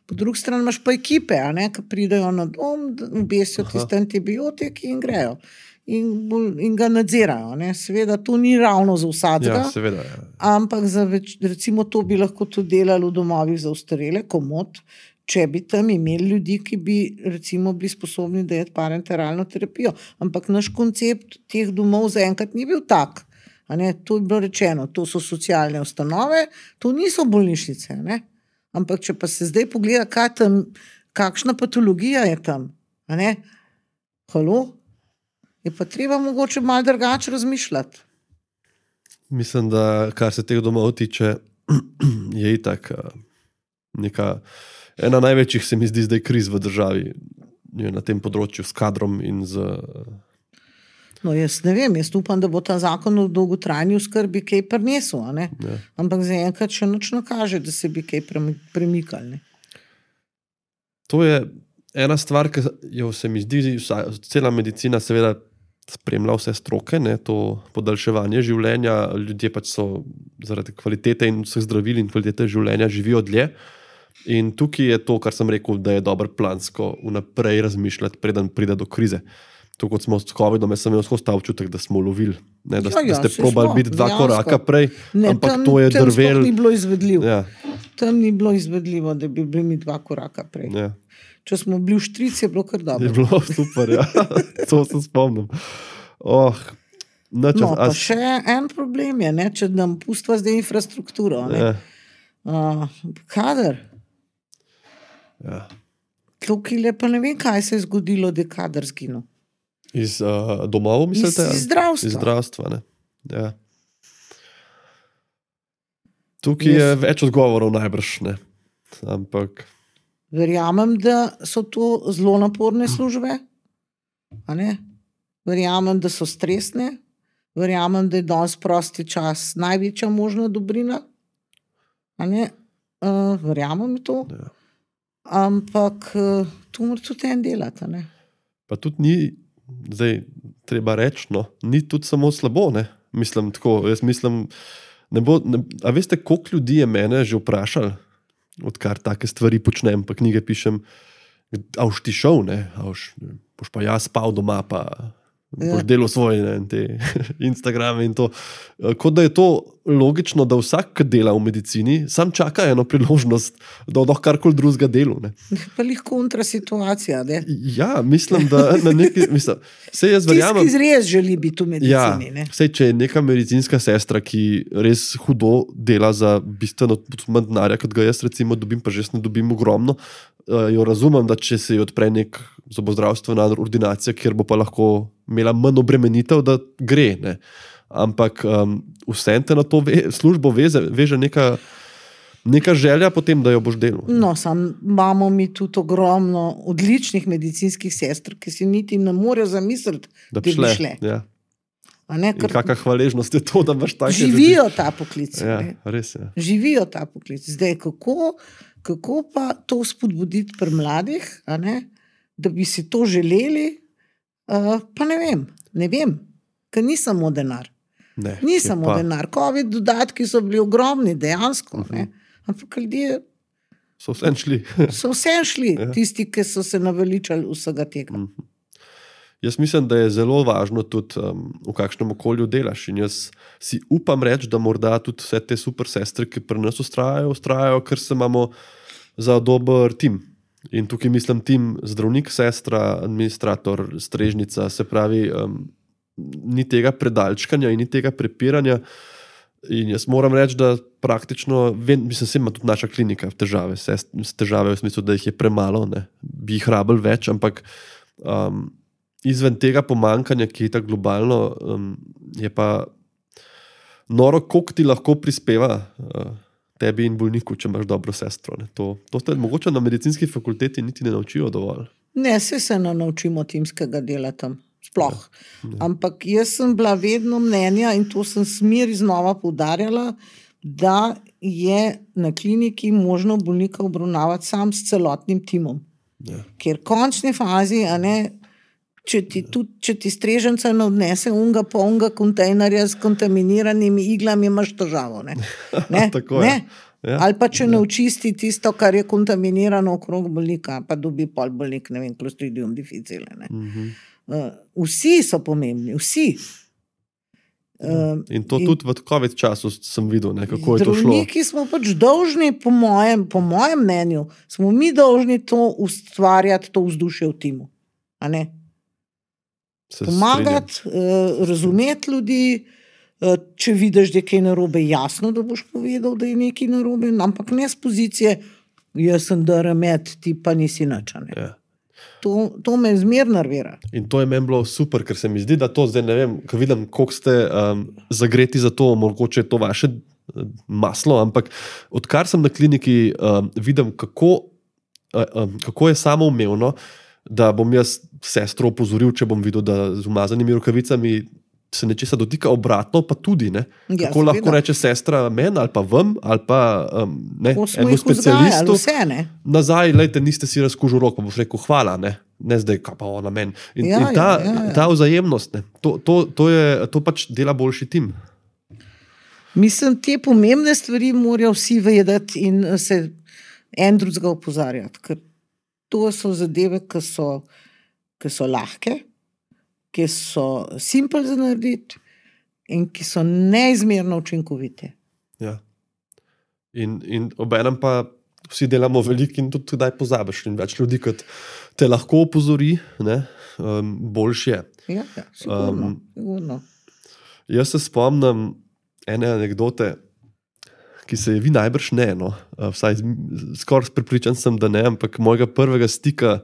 Po drugi strani imaš pa ekipe, a ne, ki pridejo na dom, obesijo tiste antibiotiki in grejo. In, in ga nadzirajo, ne. Seveda to ni ravno za vsakega, Ja, seveda, ja. ampak za več, recimo to bi lahko tudi delali v domovih za ostarele, komot, če bi tam imeli ljudi, ki bi recimo bili sposobni dajati parenteralno terapijo. Ampak naš koncept teh domov zaenkrat ni bil tak. A ne, to je bilo rečeno, to so socialne ustanove, to niso bolnišnice, ne. Ampak če pa se zdaj pogleda, kaj tam, kakšna patologija je tam, a ne, halo, je pa treba mogoče malo drugače razmišljati. Mislim, da kar se teh domov tiče, je itak neka, ena največjih se mi zdi zdaj kriz v državi je na tem področju s kadrom in z... No, jaz ne vem, jaz upam, da bo ta zakon o dolgotrajni oskrbi kaj prinesel, a ne? Ja. Ampak zaenkrat še nič ne kaže, da se bi kaj premikali, ne? To je ena stvar, ki jo se mi zdi, cela medicina seveda spremlja vse stroke, ne, to podaljševanje življenja, ljudje pač so zaradi kvalitete in vseh zdravil in kvalitete življenja živijo dlje. In tukaj je to, kar sem rekel, da je dobro plansko vnaprej razmišljati, preden pride do krize. To, kot smo s covidom, jaz sem imel skozi ta občutek, da smo lovili, ne, da, Ja, ja, da ste saj probali smo, biti dva dejansko. koraka prej, Ne, ampak tam, to je tam drvel. sploh ni bilo izvedljivo. Ja, Tam ni bilo izvedljivo, da bi bili mi dva koraka prej. ja. Če smo bili v štrici, je bilo kar Je dobro. bilo super, ja. To se spomnim. Oh, nič, No, pa a- še en problem je, ne, če nam pustva zdaj infrastrukturo, ne. ja, Uh, kader. ja. Tukaj pa ne vem, kaj se je zgodilo, da je kader zginil. Iz uh, domov, Iz, mislite? iz zdravstva. Iz zdravstva, ne. Ja. Tukaj je Jaz- več odgovorov najbrž, ne. Ampak, Verjamem, da so to zelo naporne službe, a ne? Verjamem, da so stresne, verjamem, da je danes prosti čas največja možna dobrina, a ne? Uh, verjamem v to, ja. ampak uh, to mora tudi en delati, a ne? Pa tudi ni, zdaj treba reči, no, ni tudi samo slabo, ne. Mislim tako, jaz mislim, ne bo, ne, a veste, koliko ljudi je mene že vprašali, odkar take stvari počnem, pa knjige pišem, a boš ti šel, ne, a boš, boš pa jaz spal doma, pa boš Ja. delal svoje, ne, te Instagrame in to. Kot da je to logično, da vsak, ki dela v medicini, sam čaka eno priložnost, da lahko karkoli drugega delu, ne. Pa lih kontra situacija, ne? Ja, mislim, da na neki, mislim, sej jaz Tisti, verjamem. ki res želi biti v medicini, Ja, ne? sej, če je neka medicinska sestra, ki res hudo dela za bistveno manj denarja, kot ga jaz recimo dobim, pa že jaz ne dobim ogromno, uh, jo razumem, da če se ji odpre nek zobozdravstvena ordinacija, kjer bo pa lahko imela manj obremenitev, da gre, ne. Ampak um, vse te na to ve, službo veze, veže neka, neka želja potem, da jo boš delal. No, sam imamo mi tudi ogromno odličnih medicinskih sester, ki si niti ne morejo zamisliti, Da bi bi šle. šle. Ja. A ne, In ker kakšna hvaležnost je to, da imaš take živijo ta poklic. ljudi. Ja, ne. res je. Živijo ta poklic. Zdaj, kako, kako pa to spodbuditi pri mladih, a ne, da bi si to želeli, uh, pa ne vem, ne vem, ker ni samo denar. Ne, Ni je samo pa- denar. Covid dodatki so bili ogromni, dejansko, ne. Ampak ljudje So vsem šli. so vse šli, Ja. tisti, ki so se naveličali vsega tega. Jaz mislim, da je zelo važno tudi, um, v kakšnem okolju delaš. In jaz si upam reči, da morda tudi vse te super sestre, ki pri nas ustrajajo, ustrajajo, ker se imamo za dober tim. In tukaj mislim tim zdravnik, sestra, administrator, strežnica, se pravi, um, ni tega predalčkanja in ni tega prepiranja. In jaz moram reči, da praktično, vem, mislim, se ima tudi naša klinika težave, sest, težave v smislu, da jih je premalo, ne, bi jih rabili več, ampak um, izven tega pomankanja, ki je tako globalno, um, je pa noro, koliko ti lahko prispeva uh, tebi in bolniku, če imaš dobro sestro. Ne. To, to te mogoče na medicinski fakulteti niti ne naučijo dovolj. Ne, vse se ne naučimo timskega dela tam, sploh. Ja, ja. Ampak jaz sem bila vedno mnenja in to sem smeri znova poudarjala, da je na kliniki možno bolnika obravnavati sam s celotnim timom. Ja. Ker v končni fazi, a ne, če ti, tudi, če ti streženca ne odnese unga po unga kontejnerja s kontaminiranimi iglami, imaš težavo. Ne? Ne? Tako ne? Ja. Ali pa če Ja. ne očisti tisto, kar je kontaminirano okrog bolnika, pa dobi pol bolnik, ne vem, Clostridium difficile. Ne? Mhm. Uh, vsi so pomembni, vsi. Uh, in to in tudi v COVID času sem videl, ne, kako je to šlo. Zdravniki smo pač dolžni, po mojem, po mojem mnenju, smo mi dolžni to ustvarjati, to vzdušje v timu. A ne? Se Pomagati, uh, razumeti ljudi, uh, če vidiš, da je kaj narobe, jasno, da boš povedal, da je nekaj narobe, ampak ne z pozicije, jaz sem daramet, ti pa nisi nič. Ja. To, to me zmer nervira. In to je meni bilo super, ker se mi zdi, da to zdaj ne vem, ko vidim, koliko ste um, zagreti za to, mogoče je to vaše maslo, ampak odkar sem na kliniki, um, vidim, kako, uh, um, kako je samoumevno, da bom jaz sestro opozoril, če bom videl, da z umazanimi rokavicami se nečesa dotika, obratno pa tudi. Ne? Ja, kako lahko seveda. reče sestra meni ali pa vam, ali pa um, ne, Ko smo enemu jih vzgajali, specialistu. vse, ne? Nazaj, lejte, niste si razkužil rok, pa boš rekel hvala, ne, ne zdaj, kaj pa ona meni. In, Ja, in ta, ja, ja, ja. ta vzajemnost, ne, to, to, to, je, to pač dela boljši tim. Mislim, te pomembne stvari morajo vsi vedeti in se en drugega opozarjati, ker to so zadeve, ki so, ki so lahke, ki so simple za narediti in ki so neizmerno učinkovite. Ja. In, in obenem pa vsi delamo veliko in tudi kdaj pozabiš. In več ljudi, kot te lahko opozori, ne, um, boljše je. Ja, ja, sigurno, Um, sigurno. Jaz se spomnim ene anekdote, ki se je vi najbrž ne, no, vsaj skoraj prepričan sem, da ne, ampak mojega prvega stika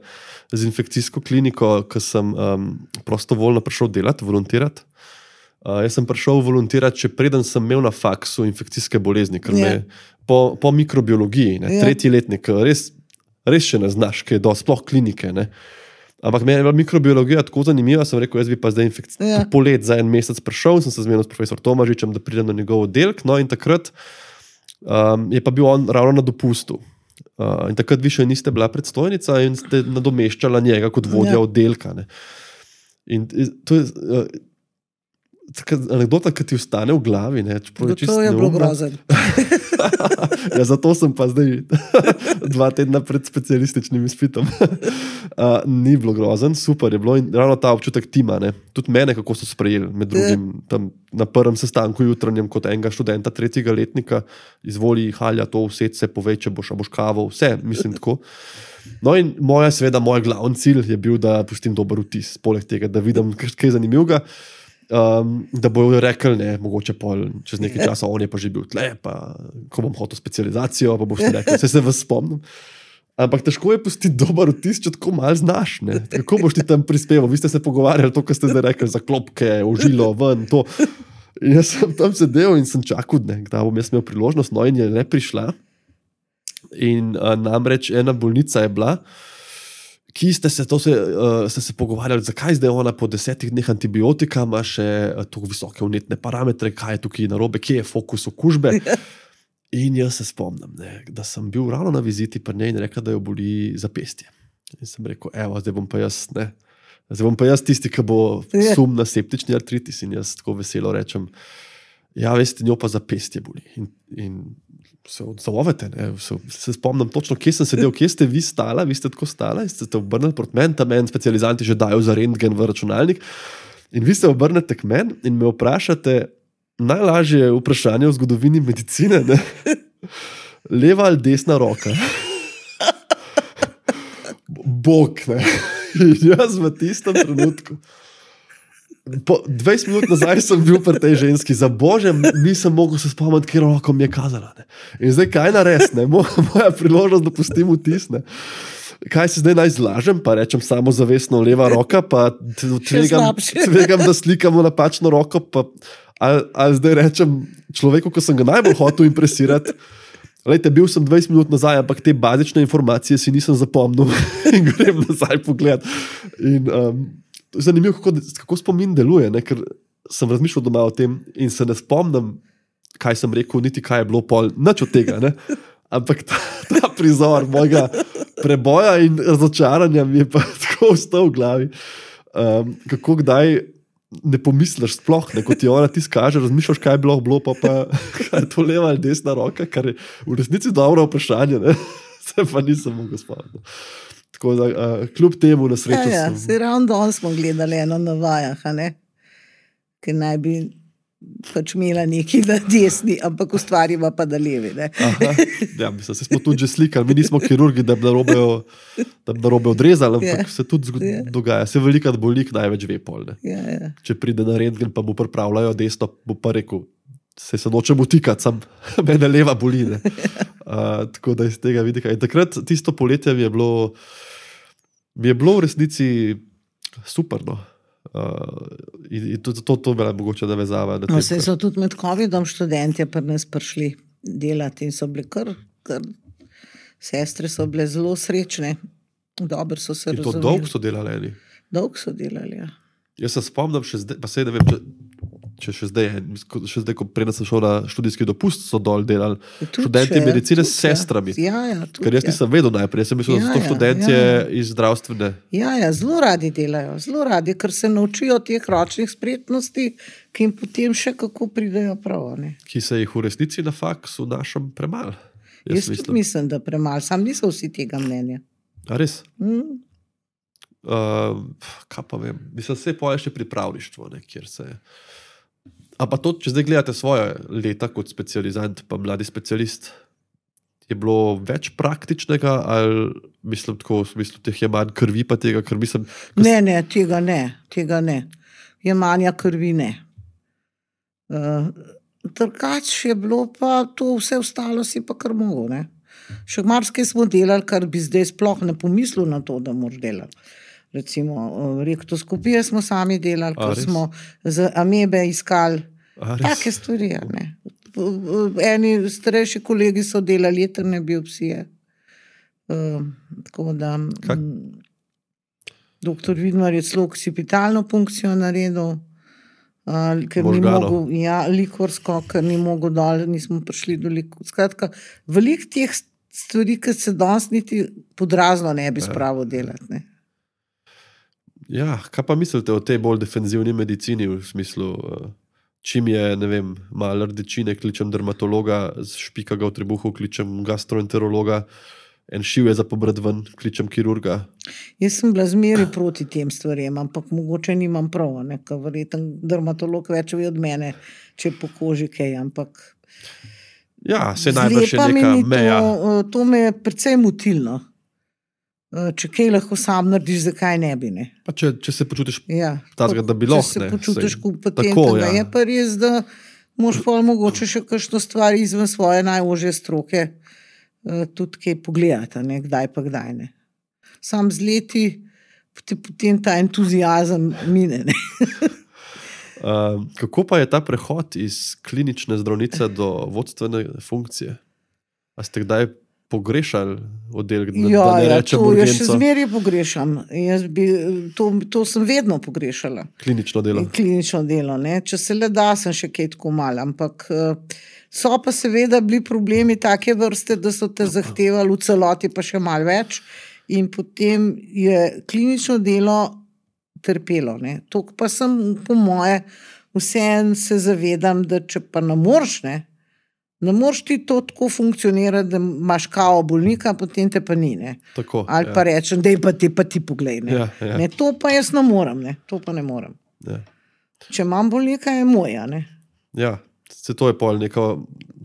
z infekcijsko kliniko, ko sem um, prostovoljno prišel delati, volontirati. Uh, jaz sem prišel volontirati, če preden sem imel na faksu infekcijske bolezni, ker Ja. me po, po mikrobiologiji, ne, Ja. tretji letnik, res, res še ne znaš, kaj je do sploh klinike. Ne. Ampak meni je bila mikrobiologija tako zanimiva, sem rekel, jaz bi pa zdaj infekc... Ja. polet za en mesec prišel, sem se zmenil s profesor Tomažičem, da pridem na njegov oddelek, no in takrat um, je pa bil on ravno na dopustu. Uh, in takrat vi še niste bila predstojnica in ste nadomeščala njega kot vodja Ja. oddelka. Ne. In to je uh, taka anekdota, ki ti ostane v glavi. Ne, čeprav je čisto To je bilo neumna. grozen. Ja, zato sem pa zdaj dva tedna pred specialističnim izpitom. Uh, ni bilo grozen, super je bilo in ravno ta občutek tima, ne. Tudi mene, kako so sprejeli, med drugim tam na prvem sestanku jutranjem kot enega študenta tretjega letnika, izvoli, halja to, vse se povej, če boš, a boš kavo, vse, mislim tako. No in moja, seveda, moj glavni cilj je bil, da pustim dober vtis, poleg tega, da vidim kaj zanimivega. Um, da bojo rekli, ne, mogoče pol, čez nekaj časa, on je pa že bil tle, pa ko bom hotel specializacijo, pa boš rekel, vse se vas spomnim. Ampak težko je pustiti dober vtis, če tako malo znaš. Ne. Kako boš ti tam prispeval? Vi ste se pogovarjali to, kar ste zdaj rekli, za klopke, užilo, ven, to. In jaz sem tam sedel in sem čakal, ne, da bom jaz imel priložnost, no in je ne prišla. In uh, namreč ena bolnica je bila, ki ste se, to se, uh, ste se pogovarjali, zakaj zdaj ona po desetih dneh antibiotika ima še uh, tako visoke vnetne parametre, kaj je tukaj narobe, kje je fokus okužbe. In jaz se spomnim, ne, da sem bil ravno na viziti pri njej in rekla, da jo boli zapestje. In sem rekel, evo, zdaj bom pa jaz, ne, zdaj bom pa jaz tisti, ki bo sum na septični artritis. In jaz tako veselo rečem, ja, veste, njo pa zapestje boli. In, in se odzovete, ne, se, se spomnim točno, kje sem sedel, kje ste vi stala, vi ste tako stala in ste se obrnili proti meni, tam meni specializanti že dajo za rentgen v računalnik. In vi se obrnete k meni in me vprašate najlažje vprašanje v zgodovini medicine, ne? Leva ali desna roka? Bog, ne. In jaz v tistem trenutku. Po dvajset minut nazaj sem bil pri tej ženski, za bože, nisem mogel se spomniti, kjer roko mi je kazala. Ne. In zdaj kaj narediti, moja priložnost, da pustim vtis. Ne. Kaj se zdaj naj zlažem, pa rečem samozavestno leva roka, pa tvegam, tvegam da slikamo napačno roko, pa ali, ali zdaj rečem človeku, ko sem ga najbolj hotel impresirati, Lejte, bil sem dvajset minut nazaj, ampak te bazične informacije si nisem zapomnil in grem nazaj pogled. In, um, zanimivo, kako, kako spomin deluje, ne? Ker sem razmišljal doma o tem in se ne spomnim, kaj sem rekel, niti kaj je bilo pol, nič od tega. Ne? Ampak ta, ta prizor mojega preboja in razočaranja mi je pa tako ostal v glavi. Um, kako kdaj ne pomisliš sploh, ne, ko ti ona ti skaže, razmišljaš, kaj je bilo, bilo pa, pa kaj je to leva ali desna roka, kar je v resnici dobro vprašanje, ne? Se pa nisem mogel spomniti. Tako da, uh, kljub temu na srečo ja, ja, sem... Se ravno danes smo gledali eno na vajah, a ne? Ker naj bi pač imela neki na desni, ampak ustvarjava pa da levi, ne? Aha, ja, mislim, se smo tudi že slikali, mi nismo kirurgi, da bi narobe, da bi narobe odrezali, ampak Ja, se tudi zgod, ja. dogaja. Se velikrat bolnik največ ve pol, ne? Ja, ja. Če pride na rentgen, pa mu pripravljajo desno, bo pa rekel, se se nočem utikati, sam mene leva boli, ne? Uh, tako da iz tega vidika. In takrat tisto poletje mi je bilo, mi je bilo v resnici super, no. Uh, in, in to, to, to me mogoče navezava. Na No, tem, se kar- so tudi med covidom študentje pri nas prišli delati in so bili kar, kar sestre so bile zelo srečne. Dobro so se in to razumeli. dolgo so delali eni. Dolgo so delali, ja. Jaz se spomnim še zdaj, pa sej ne vem, če, če še zdaj, je, še zdaj, ko preden sem šel na študijski dopust, so dol delali Tudi študenti še, medicine tudi, s sestrami. Ja, ja, tudi, Ker jaz ja. nisem vedel najprej, jaz sem mislil, da so Ja, to ja, študentje ja, ja. iz zdravstvene. Ja, ja, zelo radi delajo, zelo radi, ker se naučijo teh ročnih spretnosti, ki jim potem še kako pridejo prav. Ne? Ki se jih v resnici na faksu našem premalo. Jaz, Jaz tudi mislim. mislim, da premalo, sam niso vsi tega mnenja. A res? Mm. Uh, kaj pa vem, mislim, se pa je še pripravništvo, ne, kjer se... A pa to, če zdaj gledate svoje leta kot specializant, pa mladi specialist, je bilo več praktičnega ali mislim tako, v smislu teh je manj krvi pa tega, ker mislim... ko Ne, ne, tega ne, tega ne. Jemanja krvi ne. Uh, Drugač je bilo pa to vse ostalo si pa kar mogel, ne. Še marsikaj smo delali, kar bi zdaj sploh ne pomislil na to, da moraš delati. Recimo, uh, rektoskopije smo sami delali, A, ko res? smo z amebe iskali A, res? take stvari, a ne. Eni starejši kolegi so delali jetrne biopsije. Uh, tako da Kak- mm, doktor Vidmar je celo occipitalno funkcijo naredil, uh, ker ni Možganov. mogel, ja, likorsko, ker ni mogel dol, nismo prišli do likor. Skratka, veliko teh stvari, ki se danes niti podrazno ne bi spravil delati, ne. Ja, kaj pa mislite o tej bolj defenzivni medicini v smislu, uh, čim je, ne vem, malo rdečine, kličem dermatologa, špika ga v trebuhu, kličem gastroenterologa, en šiv je za pobrat ven, kličem kirurga. Jaz sem bila zmeraj proti tem stvarem, ampak mogoče nimam prav, ne, ker verjetno dermatolog več ve od mene, če po koži kaj, ampak Ja, se najbrž je zlepa mi neka ni to, meja. eh, to me je precej motilno. Eh, Če kaj lahko sam narediš, zakaj ne bi, ne. Pa če, če se počutiš Ja, Takega, da bi če lahko, se ne, počutiš saj- kompetenten, tako, ja. ja. Je pa res, da moraš pol mogoče še kakšno stvar izven svoje najožje stroke eh, tudi kaj pogledati, a ne, kdaj pa kdaj ne. Sam z leti potem, potem ta entuziazem mine, ne. Uh, kako pa je ta prehod iz klinične zdravnice do vodstvene funkcije? A ste kdaj pogrešali oddelek, da, Ja, da ne ja, rečem to jaz še urgenco, zmeraj pogrešam. Jaz bi, to, to sem vedno pogrešala. klinično delo? In klinično delo, ne. Če se le da, sem še kaj tako malo, ampak eh, so pa seveda bili problemi take vrste, da so te zahtevali v celoti pa še malo več in potem je klinično delo trpelo, ne. To pa sem po moje vseeno se zavedam, da če pa ne moreš, ne, ne moreš ti to tako funkcionirati, da imaš kao bolnika, potem te pa ni, ne. Tako, Ali ja. pa rečem, daj pa ti, pa ti poglej, ne. Ja, ja. Ne, to pa jaz ne morem, ne. To pa ne morem. Ja. Če imam bolnika, je moja, ne. Ja, se to je pol neka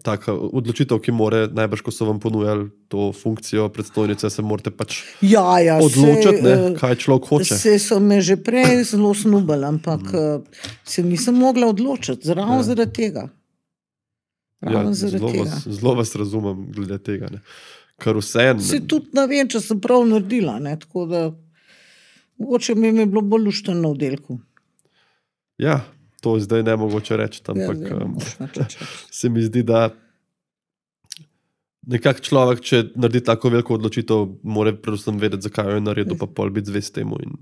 taka odločitev, ki more, najbrž, ko so vam ponujali to funkcijo predstojnice, se morate pač Ja, ja, odločiti, ne, eh, kaj človek hoče. Se so me že prej zelo snubali, ampak mm. se nisem mogla odločiti, ravno ja. zaradi tega. Ravno Ja, zaradi zelo, tega. vas, zelo vas razumem glede tega. Ne. Kar vse Se tudi ne vem, če sem prav naredila, ne, tako da mogoče mi je bilo bolj luštno na oddelku. Ja, to zdaj ne mogoče reči, ampak Ja, um, moš nič reči. se mi zdi, da nekak človek, če naredi tako veliko odločitev, mora predvsem vedeti, zakaj jo je naredil, pa pol biti zvest temu in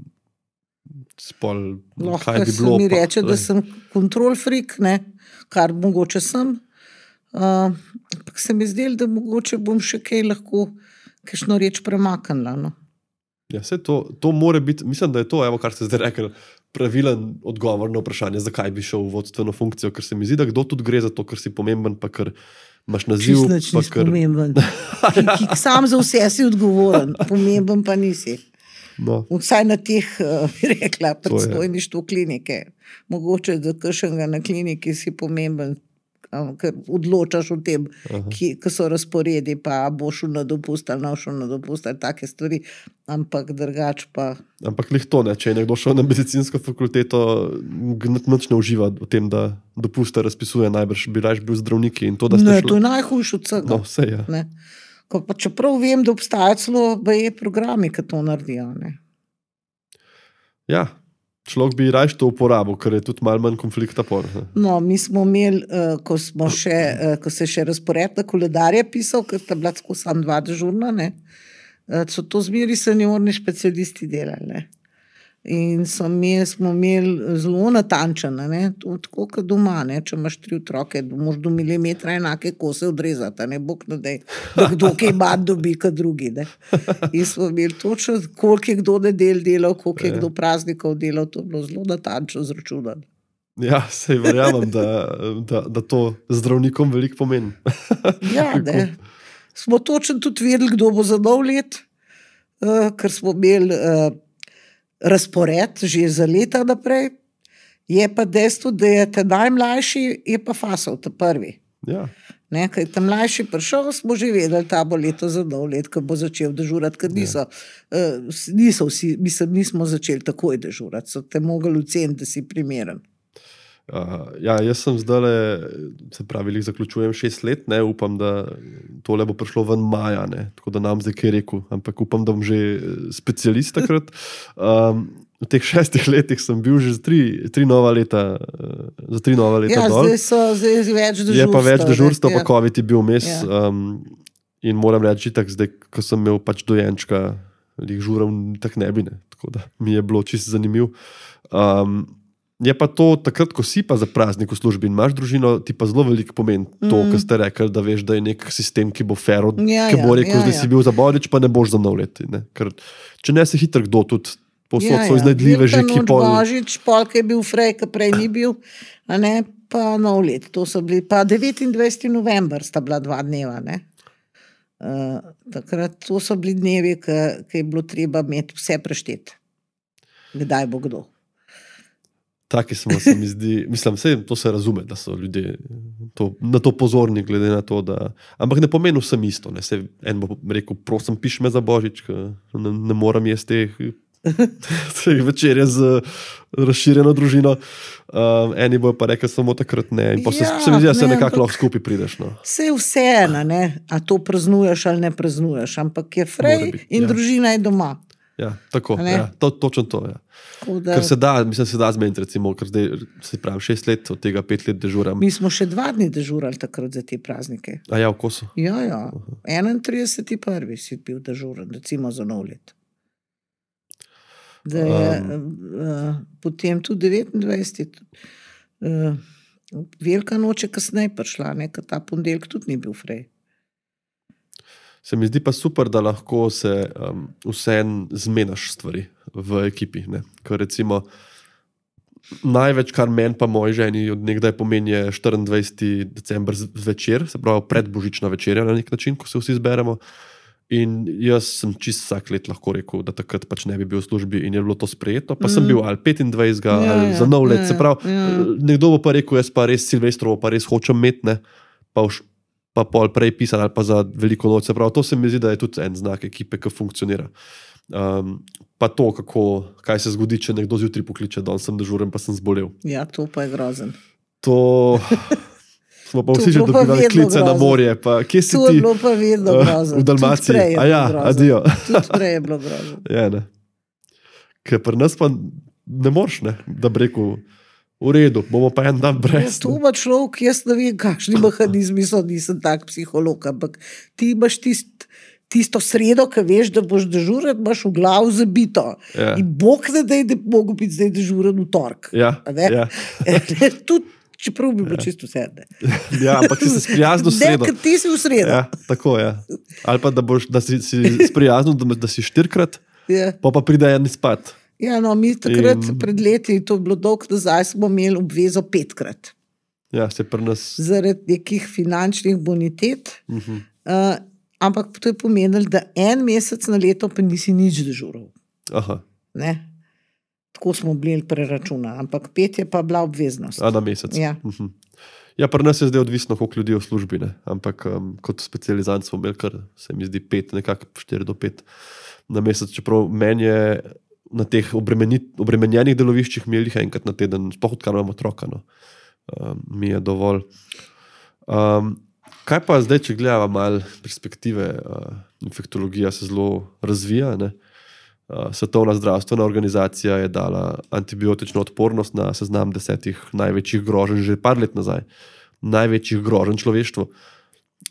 spol, Lahko kaj bi se bilo. mi pa, reče, da sem kontrol freak, ne, kar mogoče sem. Uh, ampak se mi zdelo, da mogoče bom še kaj lahko kakšno reč premaknila. No. Ja, vse to, to more biti, mislim, da je to, evo, kar ste zdaj rekli, pravilen odgovor na vprašanje, zakaj bi šel v vodstveno funkcijo, ker se mi zdi, da kdo tudi gre za to, ker si pomemben, pa ker imaš naziv. Čist nič nisi kar... pomemben. ki, ki sam za vse si odgovoren, pomemben pa nisi. No. Vsaj na teh, bi rekla, predstojništvu klinike. Mogoče, da kakšnega na kliniki si pomemben, ker odločaš o tem, ki, ki so razporedi, pa boš šel na dopust ali ne šel na dopust ali take stvari, ampak drugač pa... Ampak lih to ne, če je nekdo šel na medicinsko fakulteto, nič ne uživa v tem, da dopuste razpisuje, najbrž bi raje bil zdravniki in to, da ste ne, šli... to je najhujše od vsega. No, vse je. Ne. Ko pa čeprav vem, da obstajajo celo B E programi, ki to naredijo. Ne. Ja, človek bi raje to uporabil, ker je tudi malo manj konflikta por. No, mi smo imeli, ko, smo še, ko se je še razpored na koledarje pisal, ker sta bila tako sam dva dežurna, ne, so to zmeri seniorni specialisti delali. Ne. In so imeli, smo imeli zelo natančene, ne, to, tako kot doma, ne, če imaš tri otroke, moraš do milimetra enake kose odrezati, ne, bog ne dej, da kdo kaj bad dobi, kot drugi. Ne. In smo imeli točno, koliko je kdo nedel delal, koliko je kdo praznikov delal, to je bilo zelo natančno zračunano. Ja, sej verjamem, da, da, da to zdravnikom veliko pomeni. Ja, ne. Smo točno tudi vedeli, kdo bo za nov let, uh, ker smo imeli uh, razpored že za leta naprej, je pa dejstvo, da je ta najmlajši, je pa fasal, ta prvi. Ja. Ne, kaj ta mlajši prišel, smo že vedeli, ta bo leto za nov let, ko bo začel dežurati, ker niso, ja. uh, niso vsi, mislim, nismo začeli takoj dežurati, so te mogli oceniti, da si primeren. Uh, ja, jaz sem zdaj, se pravi, jih zaključujem šest let, ne, upam, da tole bo prišlo ven maja, ne, tako da nam zdaj kaj rekel, ampak upam, da bom že specialist takrat. Um, v teh šestih letih sem bil že za tri, tri nova leta, za tri nova leta ja, dol. Zdaj so zdaj več dežurstva. Je pa več dežurstva, pa ja. COVID je bil mes Ja. um, in moram reči, tak zdaj, ko sem imel pač dojenčka, jih žural tak ne bi, ne, tako da mi je bilo čisto zanimiv. Um, Je pa to, takrat, ko si pa za praznik v službi in imaš družino, ti pa zelo veliko pomeni to, mm. kar ste rekli, da veš, da je nek sistem, ki bo fair, ja, ki bo rekel, ja, da ja. si bil za Božič, pa ne boš za nov let. Ne? Ker, če ne, se hitro kdo tudi posod Ja, so ja. iznajdljive že, ki pol... Božič, pol, ki je bil frej, ki prej ni bil, a ne, pa nov let. To so bili, pa devetindvajseti november sta bila dva dneva, ne. Uh, takrat, to so bili dnevi, ki, ki je bilo treba imeti vse prešteti. Kdaj bo kdo. Taki smo, se mi zdi, mislim, vse to se razume, da so ljudje to, na to pozorni, glede na to, da... Ampak ne pomeni vsem isto, ne. Se en bo rekel, prosim, piš me za Božič, ne, ne moram jesti teh, teh večerje z razširjeno družino. Um, eni bojo pa rekli samo takrat ne. In pa se, Ja, se mi zdi, da se ne, nekako ampak- lahko skupaj prideš. No. Vse je vseeno, ne, a to praznuješ ali ne praznuješ, ampak je frej Mora biti, in ja. družina je doma. Ja, tako, A ne? ja, to, točno to, ja. Tako da, Ker se da, mislim, se da zmeniti, recimo, ker zdaj, se pravi, šest let, od tega pet let dežuram. mi smo še dva dni dežurali takrat za te praznike. A ja, v kosu. Ja, ja, enaintrideseti prvi si bil dežuren, recimo za nov let. Da je um, uh, potem tudi devetindvajseti Uh, velika noč je kasneje prišla, ne, ker ta ponedeljek tudi ni bil frej. Se mi zdi pa super, da lahko se um, vseeno zmenaš stvari v ekipi. Ne? Ker recimo največ, kar meni pa moji ženi od nekdaj pomeni, je štiriindvajseti december zvečer, se pravi predbožična večerja na nek način, ko se vsi zberemo. In jaz sem čist vsak let lahko rekel, da takrat pač ne bi bil v službi in je bilo to sprejeto, pa mm. sem bil ali petindvajsetega Ja, ali ja, za nov let. ja, Se pravi, ja. nekdo bo pa rekel, jaz pa res Silvestrovo pa res hočem imeti, ne, pa, už, pa pol prej pisati ali pa za veliko noč. Se pravi, to se mi zdi, da je tudi en znak ekipe, ki funkcionira. Um, pa to, kako, kaj se zgodi, če nekdo zjutraj pokliče, da sem dežuren, pa sem zbolel. Ja, to pa je grozen. To smo pa To vsi že bilo pa dobivali vedno klice na grozno. morje. Pa, kje si To je ti? bilo pa vedno Uh, grozno. v Dalmaciji. Tudi prej je A ja, bilo grozno. adijo. Tudi prej je bilo grozno. Ja, ne. Ker pri nas pa ne moreš, ne, da bi rekel, v redu, bomo pa en dan brez. To pa človek, jaz ne vem, kakšni mehanizmi so, nisem tak psiholog, ampak ti imaš tist, tisto sredo, ki veš, da boš dežuren, imaš v glavu zabito. Ja. In Bog ne da, da bi mogel biti zdaj dežuren v torek. Ja, ja. Tudi, čeprav bi bilo ja. čisto vse. Ja, ampak si se sprijaznil v sredo. Ne, ker ti si v sredo. Ja, tako, ja. Ali pa, da, boš, da si, si sprijaznil, da, da si štirikrat, Ja. pa pa pride en izpad. Ja, no, mi takrat In- pred leti, to je bilo dolgo nazaj, smo imeli obvezo petkrat. Ja, se pri nas. Zaradi nekih finančnih bonitet. Uh-huh. Uh, ampak to je pomenilo, da en mesec na leto pa nisi nič dežural. Aha, Ne? Tako smo bili preračuna, ampak pet je pa bila obveznost. a na mesec. Ja. Uh-huh. Ja, pri nas je zdaj odvisno, koliko ljudi je v službi, ne? Ampak um, kot specializant smo imeli kar, se mi zdi, pet, nekako štiri do pet na mesec, čeprav meni je na teh obremeni- obremenjenih deloviščih imeli jih enkrat na teden, sploh odkar imamo otroka, no. Um, mi je dovolj. Um, kaj pa zdaj, če gledava malo perspektive, uh, infektologija se zelo razvija, ne? Uh, Svetovna zdravstvena organizacija je dala antibiotično odpornost na seznam desetih največjih groženj že par let nazaj. Največjih groženj človeštvu.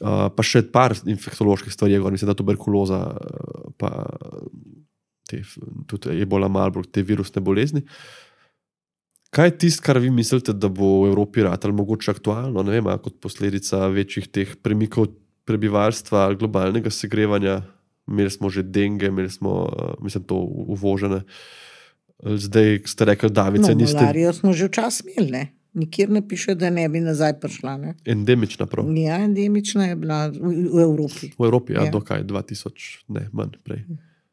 Uh, pa še par infektoloških stvari, je gor, mislim, da tuberkuloza, uh, pa te, tudi ebola, Marburg, te virusne bolezni. Kaj je tisto, kar vi mislite, da bo v Evropi ratalo mogoče aktualno, ne vem, a kot posledica večjih teh premikov prebivalstva, globalnega segrevanja? Imeli smo že denge, imeli smo, uh, mislim, to uvožene. Zdaj ste rekli, Davice, No, niste malarijo smo že včasih imeli, ne? Nikjer ne piše, da ne bi nazaj prišla. Ne? endemična prav. Ja, endemična je bila v, v Evropi. V Evropi, ja, Ja. dokaj, dva tisoč, ne, manj prej.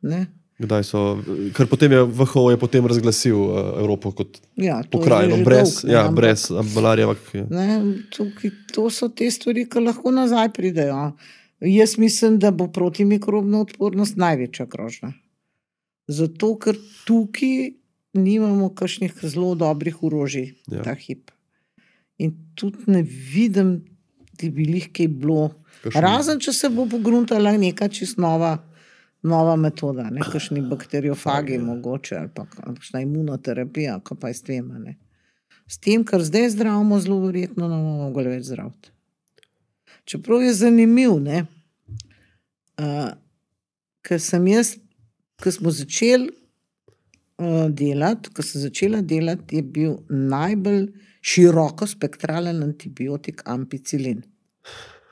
Ne? Kdaj so, ker potem je V H O je potem razglasil uh, Evropo kot Ja, to je pokrajino, že brez, dolgo, ne, ja, ampak- brez malarija. Ja. Ne, tukaj, to so te stvari, ki lahko nazaj pridejo. Jaz mislim, da bo protimikrobna odpornost največja grožnja. Zato, ker tukaj nimamo kakšnih zelo dobrih orožij, Ja. ja. ta hip. In tudi ne vidim, da bi jih kaj bilo. Kakšen- Razen, če se bo pogruntala neka čist nova, nova metoda, ne kakšni bakteriofagi Ja. mogoče, ali pa kakšna imunoterapija, ko pa je s tem. a Ne. S tem, kar zdaj zdravimo, zelo verjetno ne bomo mogli več zdraviti. Čeprav je zanimiv, ne, uh, ker sem jaz, ko smo začeli uh, delati, ko sem začela delati, je bil najbolj široko spektralen antibiotik ampicilin.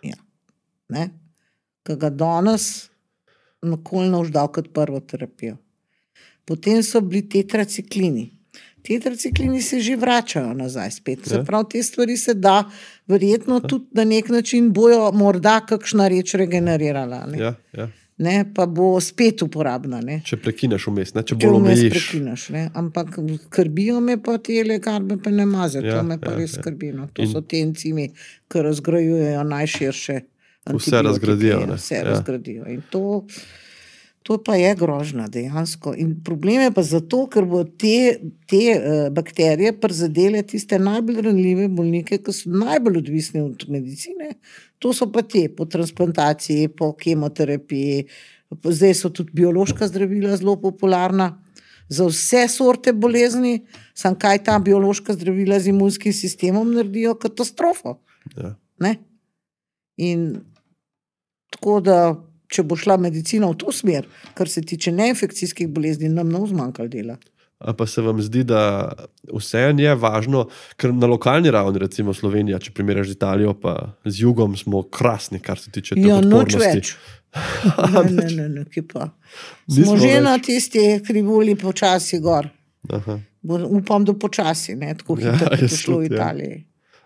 Ja. Ne, ki ga danes nikoli ne boš dal kot prvo terapijo. Potem so bili tetraciklini. Tetraciklini se že vračajo nazaj spet. Se Ja. pravi, te stvari se da verjetno tudi na nek način bojo morda kakšna reč regenerirala. Ne? Ja, ja. Ne, pa bo spet uporabna. Ne? Če prekineš vmes, ne? Če Če bolj vmes omejiš. prekineš. Ne? Ampak skrbijo me pa te lekarne, pa ne maze. Ja, To me pa ja, res ja. skrbi. No. To In- so te encimi, ki razgrajujejo najširše. Vse antibiotike, razgradijo, ja, ne. Vse Ja. razgradijo. In to, to pa je grožnja dejansko. In problem je pa zato, ker bo te, te uh, bakterije prizadele tiste najbolj ranljive bolnike, ki so najbolj odvisni od medicine. To so pa te po transplantaciji, po kemoterapiji. Zdaj so tudi biološka zdravila zelo popularna. Za vse sorte bolezni, samo kaj ta biološka zdravila z imunskim sistemom naredijo, katastrofo. Ja. Ne? In tako da, če bo šla medicina v to smer, kar se tiče neinfekcijskih bolezni, nam ne bo zmanjkalo dela. A pa se vam zdi, da vseeno je važno, ker na lokalni ravni, recimo Slovenija, če primerjaš z Italijo, pa z jugom, smo krasni, kar se tiče teh Ja, noč odpornosti. več. Ne, ne, ne, ne, kje pa. Nismo Smo že več. na tisti krivulji počasi gor. Aha. Bo, upam, da počasi, ne tako Ja, hitro, kot je jaz šlo v tudi, ja. Italiji.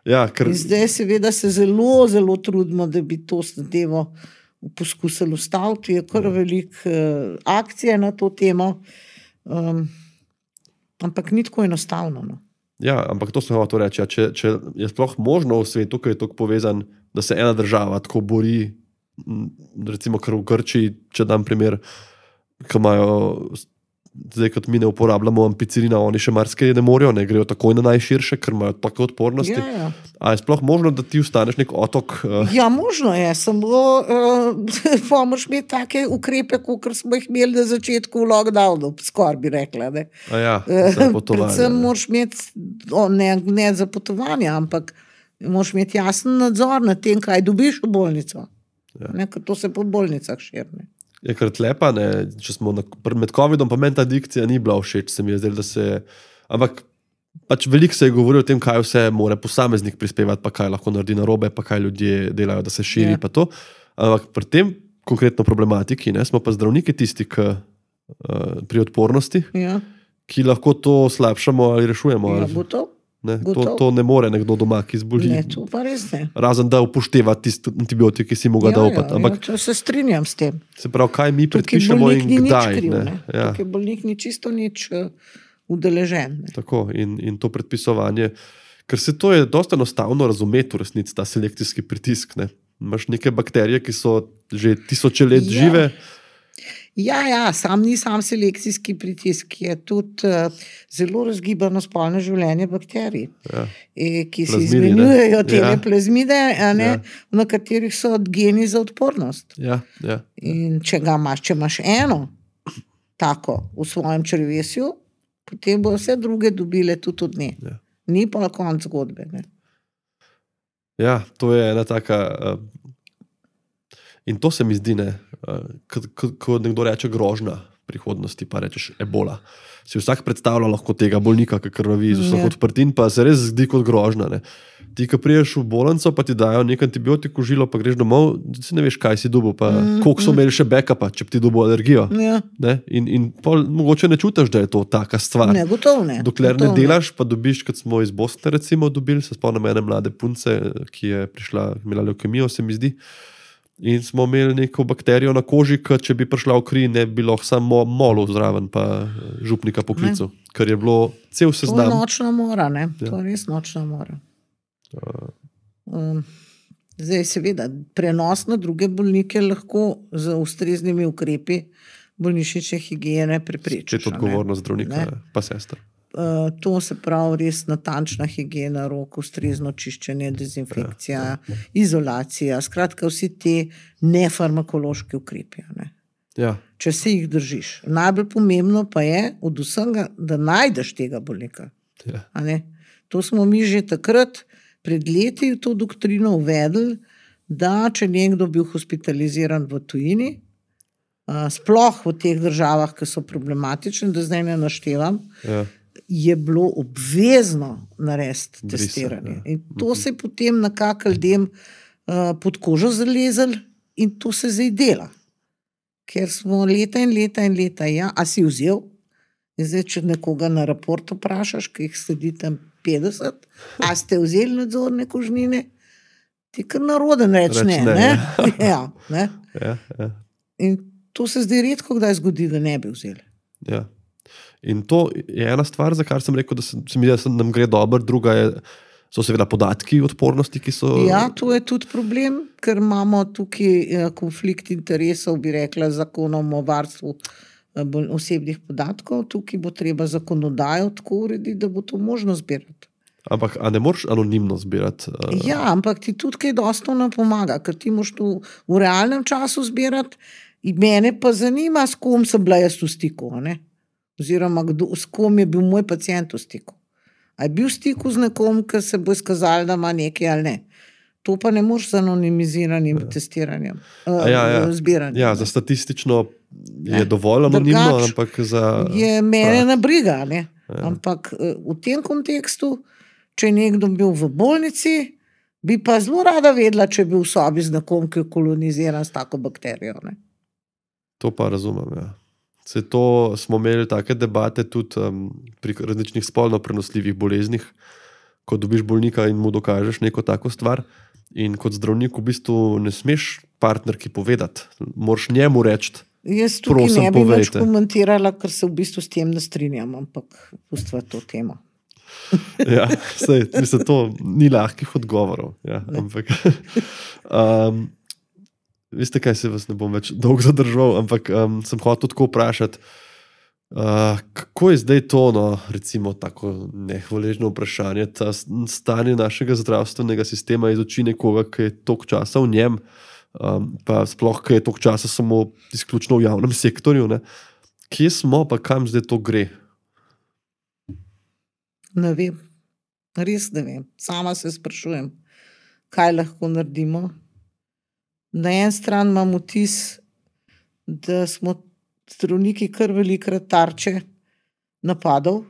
Ja, ker In zdaj seveda se zelo, zelo trudimo, da bi to zadevo poskusili ustaviti. Je kar veliko uh, akcije na to temo, um, ampak ni tako enostavno. No. Ja, ampak to sem hotel reči. Ja, če, če je sploh možno v svetu, ki je tako povezan, da se ena država tako bori, m, recimo kar v Grčiji, če dam primer, ki imajo zdaj kot mi ne uporabljamo ampicilina, oni še marsikaj ne morejo, ne grejo takoj na najširše, ker imajo tako odpornosti. Ja, ja. A je sploh možno, da ti ostaneš nek otok? Uh... Ja, možno je, samo uh, pomoč imeti take ukrepe, kot smo jih imeli na začetku v lockdownu, skoraj bi rekla. Ne? A ja, za potovanje. Predvsem moraš imeti, o, ne, ne za potovanje, ampak moraš imeti jasen nadzor nad tem, kaj dobiš v bolnico. Ja. Ne, ker to se po bolnicah širne. Je kar tlepa, ne, če smo na, med covidom, pa meni ta dikcija ni bila všeč, se mi je zdelo, da se, ampak pač veliko se je govorilo o tem, kaj vse mora posameznik prispevati, pa kaj lahko naredi narobe, pa kaj ljudje delajo, da se širi, ja. Pa to. Ampak pri tem konkretno problematiki, ne, smo pa zdravniki tisti, ki, uh, pri odpornosti, ja. Ki lahko to slabšamo ali rešujemo. Ja, ali, bo to. ne, to, to ne more nekdo doma, ki zboli. Ne, to pa res ne. Razen da upošteva tisti antibiotik, ki si mu ga ja, daupati. Ja, ja, se strinjam s tem. Se pravi, kaj mi predpišemo in kdaj. Kriv, ne? Ne? Ja. Tukaj bolnik ni čisto nič uh, udeležen. Ne? Tako, in, in to predpisovanje, ker se to je dosta enostavno razumeti v resnici, ta selekcijski pritisk. Ne? Imaš neke bakterije, ki so že tisoče let ja. žive. Ja, ja, sam ni sam selekcijski pritisk, je tudi uh, zelo razgibano spolno življenje bakterij, ja. e, ki se izmenjujejo te ja. plazmide, ja. na katerih so geni za odpornost. Ja, ja. In če ga imaš, če imaš eno tako v svojem črevesju, potem bo vse druge dobile tudi od nje. Ja. Ni pa konc zgodbe. Ne? Ja, to je ena taka... Uh, in to se mi zdi, ne, ko nekdo reče grožnja prihodnosti, pa rečeš ebola. Si vsak predstavlja lahko tega bolnika, ki krvavi iz vseh odprtin, pa se res zdi kot grožnja. Ne. Ti, ko priješ v bolnico, pa ti dajo nek antibiotik v žilo, pa greš domov, si ne veš, kaj si dobil, pa mm, koliko so imeli še backupa, če bi ti dobil alergijo. Ja. Ne. In, in pol, mogoče ne čutiš, da je to taka stvar. Ne, gotovo ne. Dokler gotovo ne delaš, pa dobiš, kot smo iz Bosne recimo dobili, se spomnim ene mlade punce, ki je prišla, imela leukemijo, se mi zdi. In smo imeli neko bakterijo na koži, ki če bi prišla v kri, ne bi bilo samo molo zraven, pa župnika poklical. Ker je bilo cel seznam. To je nočna mora, ne? Ja. To je res nočna mora. Uh. Um, zdaj, seveda, prenos na druge bolnike lahko z ustreznimi ukrepi bolnišnične higiene preprečiš. Če je to odgovornost zdravnika, pa sester. Uh, to se pravi res natančna higiena rok, ustrezno čiščenje, dezinfekcija, ja, ja. izolacija, skratka vsi te nefarmakološki ukrepi. Ne? Ja. Če se jih držiš. Najbolj pomembno pa je od vsega, da najdeš tega bolnika. Ja. A ne? To smo mi že takrat pred leti v to doktrino uvedli, da če nekdo bil hospitaliziran v tujini, uh, sploh v teh državah, ki so problematične, da zdaj ne naštevam, ja. je bilo obvezno narediti testiranje. Ja. In to se je potem nekako ljudem uh, pod kožo zalezel in to se zdaj dela. Ker smo leta in leta in leta, ja, a si vzel? In zdaj, če nekoga na raport vprašaš, ki jih sedi tam petdeset, a ste vzeli nadzorne kožnine? Ti kar naroden reč, reč ne. ne, ne? Ja, ne? Ja, ja. In to se zdaj redko kdaj zgodi, da ne bi vzeli. Ja. In to je ena stvar, za kar sem rekel, da se, se mi da nam gre dobro, druga je, so seveda podatki odpornosti, ki so... Ja, to je tudi problem, ker imamo tukaj konflikt interesov, bi rekla, zakonom o varstvu osebnih podatkov, tukaj bo treba zakonodajo tako urediti, da bo to možno zbirati. Ampak, a ne moraš anonimno zbirati? Uh... Ja, ampak ti tudi kaj dosta ne pomaga, ker ti moraš to v realnem času zbirati in mene pa zanima, s kom sem bila jaz v stiku, ne? Oziroma, kdo, s kom je bil moj pacient v stiku. A je bil v stiku z nekom, ki se bo izkazal, da ima nekaj ali ne. To pa ne moreš z anonimiziranim ja. testiranjem, uh, ja, ja. zbiranjem. Ja, za statistično je ne. dovolj anonimno, Drgač ampak za... je mene na briga, ne. Ja. Ampak uh, v tem kontekstu, če je nekdo bil v bolnici, bi pa zelo rada vedela, če je bil v sobi z nekom, ki je koloniziran s tako bakterijo, ne. To pa razumem, ja. Se to smo imeli take debate tudi um, pri različnih spolno prenosljivih boleznih, ko dobiš bolnika in mu dokažeš neko tako stvar in kot zdravnik v bistvu ne smeš partnerki povedati, moraš njemu reči, jaz tukaj ne bi več komentirala, ker se v bistvu s tem ne strinjam, ampak pustva to temo. Ja, sej, mislim, to ni lahkih odgovorov. Ja, ampak... Um, Veste, kaj se vas ne bom več dolgo zadržal, ampak um, sem hotel tako vprašati, Uh, kako je zdaj to, no, recimo, tako nehvaležno vprašanje, ta stanje našega zdravstvenega sistema iz oči nekoga, ki je toliko časa v njem, um, pa sploh, ki je toliko časa samo izključno v javnem sektorju, ne? Kje smo, pa kam zdaj to gre? Ne vem, res ne vem. Sama se sprašujem, kaj lahko naredimo. Na en stran imam vtis, da smo zdravniki kar velikrat tarče napadov,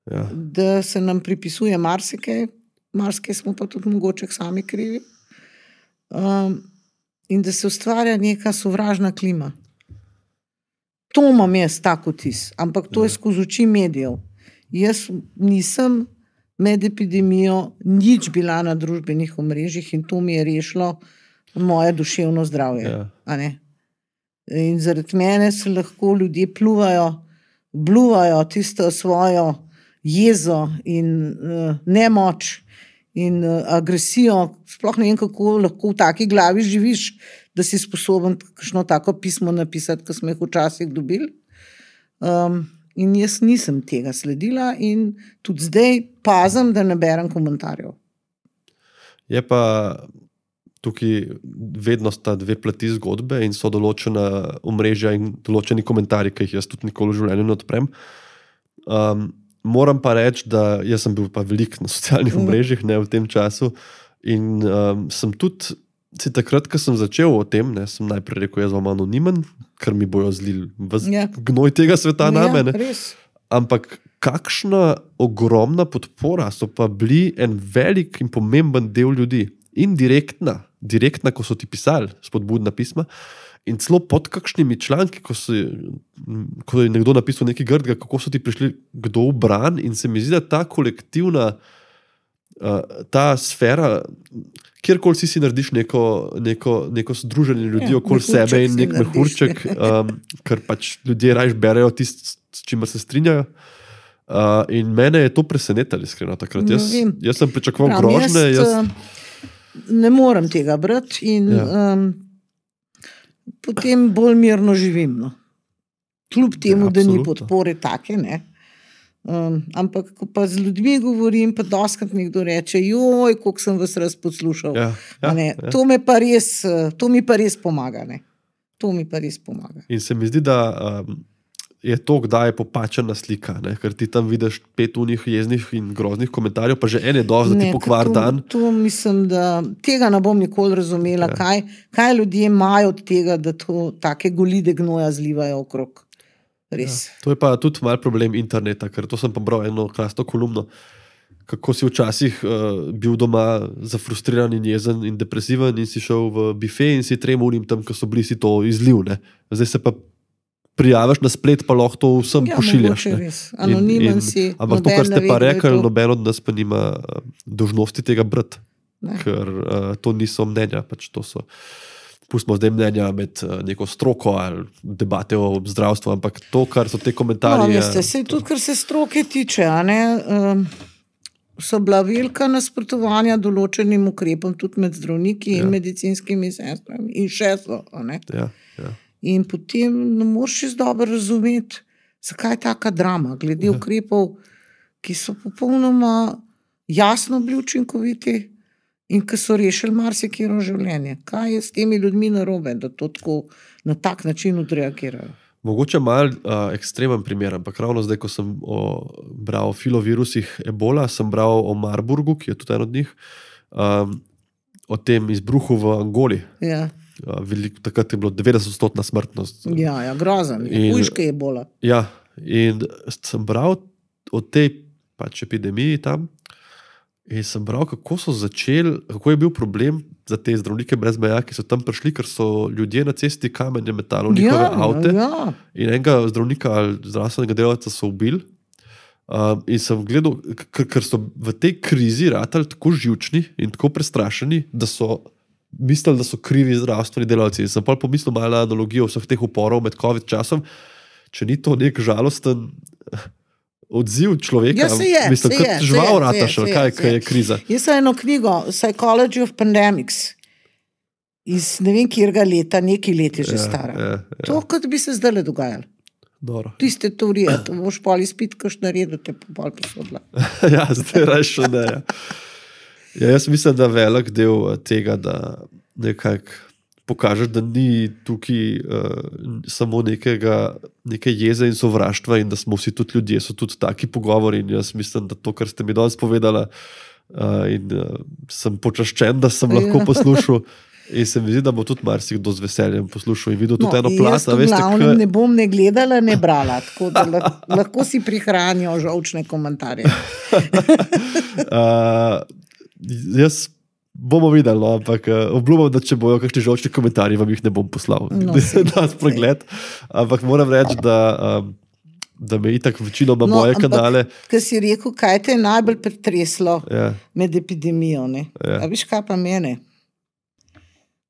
Ja. da se nam pripisuje marsikaj, marsikaj smo pa tudi mogoče sami krivi, um, in da se ustvarja neka sovražna klima. To imam jaz tak vtis, ampak to je skozi oči medijev. Jaz nisem med epidemijo nič bila na družbenih omrežjih in to mi je rešilo moje duševno zdravje. Ja. A ne? In zaradi mene se lahko ljudje pluvajo, bluvajo tisto svojo jezo in uh, nemoč in uh, agresijo. Sploh ne vem, kako lahko v taki glavi živiš, da si sposoben kakšno tako pismo napisati, kot smo jih včasih dobili. Um, in jaz nisem tega sledila in tudi zdaj pazim, da ne berem komentarjev. Je pa tukaj vedno sta dve plati zgodbe in so določena omrežja in določeni komentarji, ki jih jaz tudi nikoli v življenju ne odprem. Um, moram pa reči, da jaz sem bil pa veliko na socialnih omrežjih, ne, v tem času in um, sem tudi, si takrat, ko sem začel o tem, ne, sem najprej rekel, jaz vam anonimen, ker mi bojo zlili Ja. gnoj tega sveta name, Ja, ne. res. Ampak kakšna ogromna podpora so pa bili en velik in pomemben del ljudi. Indirektna, direktna, ko so ti pisali spodbudna pisma in celo pod kakšnimi članki, ko, so, ko je nekdo napisal nekaj grdega, kako so ti prišli kdo v bran in se mi zdi, da ta kolektivna uh, ta sfera, kjerkoli si si narediš neko, neko, neko združenje ljudi Ja, okoli mehurček sebe in si nek narediš. mehurček, um, ker pač ljudje rajš berejo tisto, s čimer se strinjajo. Uh, in mene je to presenetilo, iskreno takrat. Ne Jaz, vem. jaz sem pričakoval Pravim, grožnje. jaz, Jaz, eh, ne morem tega brati in Ja. um, potem bolj mirno živim. No. Kljub temu, Ja, da ni absolutno. podpore take, ne. Um, ampak ko pa z ljudmi govorim, pa doskrat mi kdo reče, joj, koliko sem vas raz poslušal. ja, A ja, ne, ja. to, me pa res, eh, to mi pa res pomaga. Ne. To mi pa res pomaga. In se mi zdi, da um, je to, kdaj je popačena slika, ne? Ker ti tam vidiš pet unih jeznih in groznih komentarjev, pa že en je dovolj, da ti Ne, pokvar to, dan. To mislim, da tega ne bom nikoli razumela, Ja. ja. kaj, kaj ljudje imajo od tega, da to take golide gnoja zlivajo okrog. Res. Ja. To je pa tudi mal problem interneta, ker to sem pa bral eno krasno kolumno, kako si včasih uh, bil doma zafrustriran in jezen in depresiven in si šel v bife in si trem unim tam, ko so bili, si to izliv. Ne? Zdaj se pa prijaviš na splet, pa lahko to vsem Ja, pošiljaš. mogoče ne. res. Anonimen si, Ampak to, noben kar ste ne pa ve, kdo je rekli, to. noben od nas pa nima uh, dolžnosti tega brati, Ne. ker uh, to niso mnenja, pač to so. Pustimo zdaj mnenja med uh, neko stroko ali debate o zdravstvu, ampak to, kar so te No, komentarji. veste, sej tudi, kar se stroke tiče, a ne, um, so bila velika nasprotovanja določenim ukrepom, tudi med zdravniki Ja. in medicinskimi sestrami, in še so. A ne. Ja, ja. In potem ne moreš čisto dobro razumeti, zakaj je taka drama, glede Ja. ukrepov, ki so popolnoma jasno bili učinkoviti in ki so rešili marsikero življenje. Kaj je s temi ljudmi narobe, da to tako na tak način odreagirajo? Mogoče malo uh, ekstremen primer, ampak ravno zdaj, ko sem o, bral o filovirusih ebola, sem bral o Marburgu, ki je tudi en od njih, um, o tem izbruhu v Angoli. Ja, Uh, veliko, takrat je bilo devetdeset odstotna smrtnost. ja, ja grozen, In- hujške je bola. Ja, in sem bral o tej pač epidemiji tam in sem bral, kako so začeli, kako je bil problem za te zdravnike brez meja, ki so tam prišli, ker so ljudje na cesti kamenje metali v njihove Ja, avte. ja. In enega zdravnika ali zdravstvenega delavca so ubili. Um, in sem gledal, ker, ker so v tej krizi ratali tako živčni in tako prestrašeni, da so mislili, da so krivi zdravstveni delavci. In sem pa pomislil malo na analogijo vseh teh uporov med COVID časom, če ni to nek žalosten odziv človeka. Ja, se je, mislim, se kot je, se žival je, se rataš, je, ali se kaj, je, se kaj je. je kriza. Jaz sem eno knjigo Psychology of Pandemics iz ne vem kjerga leta, nekaj let je že Ja, stara. ja, ja. To, kot bi se zdaj dogajalo. Dobro. Tiste teorije, to boš pol izpit, kaš naredil, te pa pol posodila. Ja, zdaj rešo ne. Ja. Ja, jaz mislim, da velik del tega, da nekako pokažeš, da ni tukaj uh, samo nekega, neke jeze in sovraštva in da smo vsi tudi ljudje, so tudi taki pogovori in jaz mislim, da to, kar ste mi danes povedala uh, in uh, sem počaščen, da sem lahko poslušal in se mi zdi, da bo tudi marsikdo z veseljem poslušal in videl tudi no, eno plat. Jaz to glavnem ne bom ne gledala, ne brala, tako da lahko si prihranijo žolčne komentarje. uh, jaz bomo videli, no, ampak uh, obljubam, da če bojo kakšni žolčni komentarji, vam jih ne bom poslal. No, na spregled. Ampak moram reči, da, um, da me itak večinoma no, moje ampak, kanale... Kaj si rekel, kaj te je najbolj pretreslo ja. med epidemijo? Ne? Ja. A viš, kaj pa mene?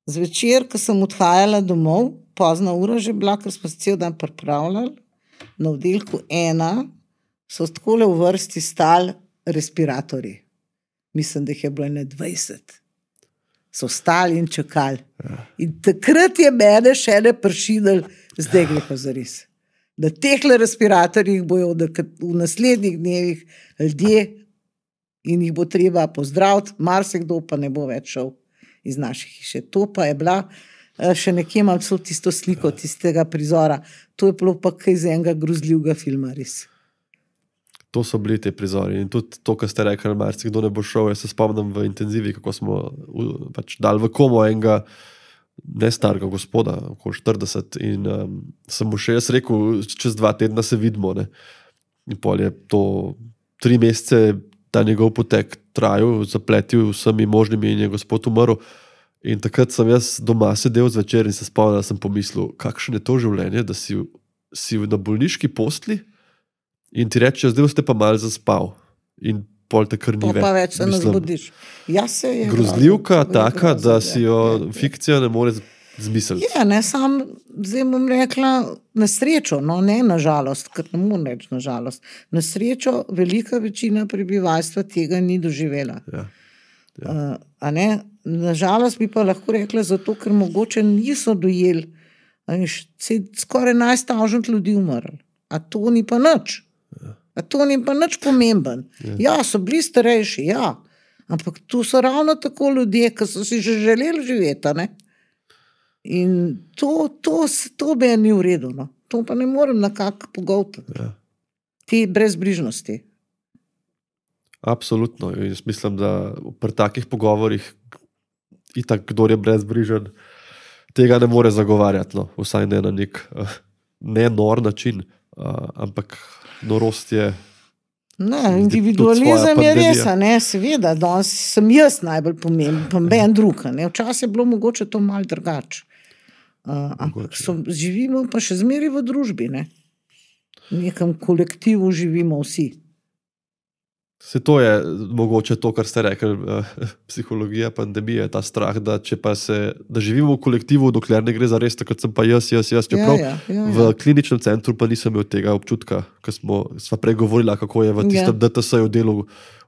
Zvečer, ko sem odhajala domov, pozna ura že bila, ker smo se cel dan pripravljali, na oddelku ena so takole v vrsti stali respiratorji. Mislim, da jih je bilo ene dvajset. So stali in čakali. Ja. In takrat je mene še ne pršidel, zdaj gre pa zares. Da tehle respiratorjih bojo v naslednjih dnevih ljudje in jih bo treba pozdraviti, marsikdo pa ne bo več šel iz naših hiše. To pa je bila, še nekje imam celo tisto sliko tistega prizora. To je bilo pa kaj iz enega grozljivega filma, res. To so bili te prizori in tudi to, kar ste rekli, marsikdo ne bo šel. Jaz se spomnim v intenzivi, kako smo pač dali v komo enega nestarega gospoda, okoli štirideset in um, sem mu še jaz rekel, čez dva tedna se vidimo. Ne? In pol je to tri mesece ta njegov potek trajal, zapletil vsemi možnimi in je gospod umrl. In takrat sem jaz doma sedel zvečer in se spomnil, da sem pomislil, kakšno je to življenje, da si, si na bolniški postli in ti reče, zdaj ste pa malo zaspal in pol te kar ni več. Pa več se ne zbudiš. Ja, se je grozljivka grozno, taka, grozno, da si jo je, fikcija ne more zmisliti. Ja, ne, sam zdaj bom rekla na srečo, no ne na žalost, ker ne moram reči na žalost. Na srečo velika večina prebivalstva tega ni doživela. Ja. Ja. Uh, a ne? Na žalost bi pa lahko rekla zato, ker mogoče niso dojeli, se je skoraj enajst tisoč ljudi umrlo. A to ni pa nič. A to ni pa nič pomemben. Ja. ja, so bili starejši, ja. Ampak tu so ravno tako ljudje, ki so si že želeli živeti, ne? In to, to, to bi ni v redu, no. To pa ne morem nekako pogovtati. Ja. Te brezbrižnosti. Absolutno. Jaz mislim, da pri takih pogovorih itak, kdor je brezbrižen, tega ne more zagovarjati, no. Vsaj ne na nek uh, ne nor način, uh, ampak norost je... Ne, individualizem je res, ne, seveda, danes sem jaz najbolj pomemben, pa ben drug, ne, včasih je bilo mogoče to malo drugače. Uh, ampak so, živimo pa še zmeraj v družbi, ne. V nekem kolektivu živimo vsi. Se to je mogoče to, kar ste rekli, eh, psihologija pandemije, ta strah, da če pa se, da živimo v kolektivu, dokler ne gre za res, takrat sem pa jaz, jaz, jaz, čeprav ja, ja, ja, ja. v kliničnem centru pa nisem imel tega občutka, ko smo sva pregovorila, kako je v tistem ja. D T S-ju delu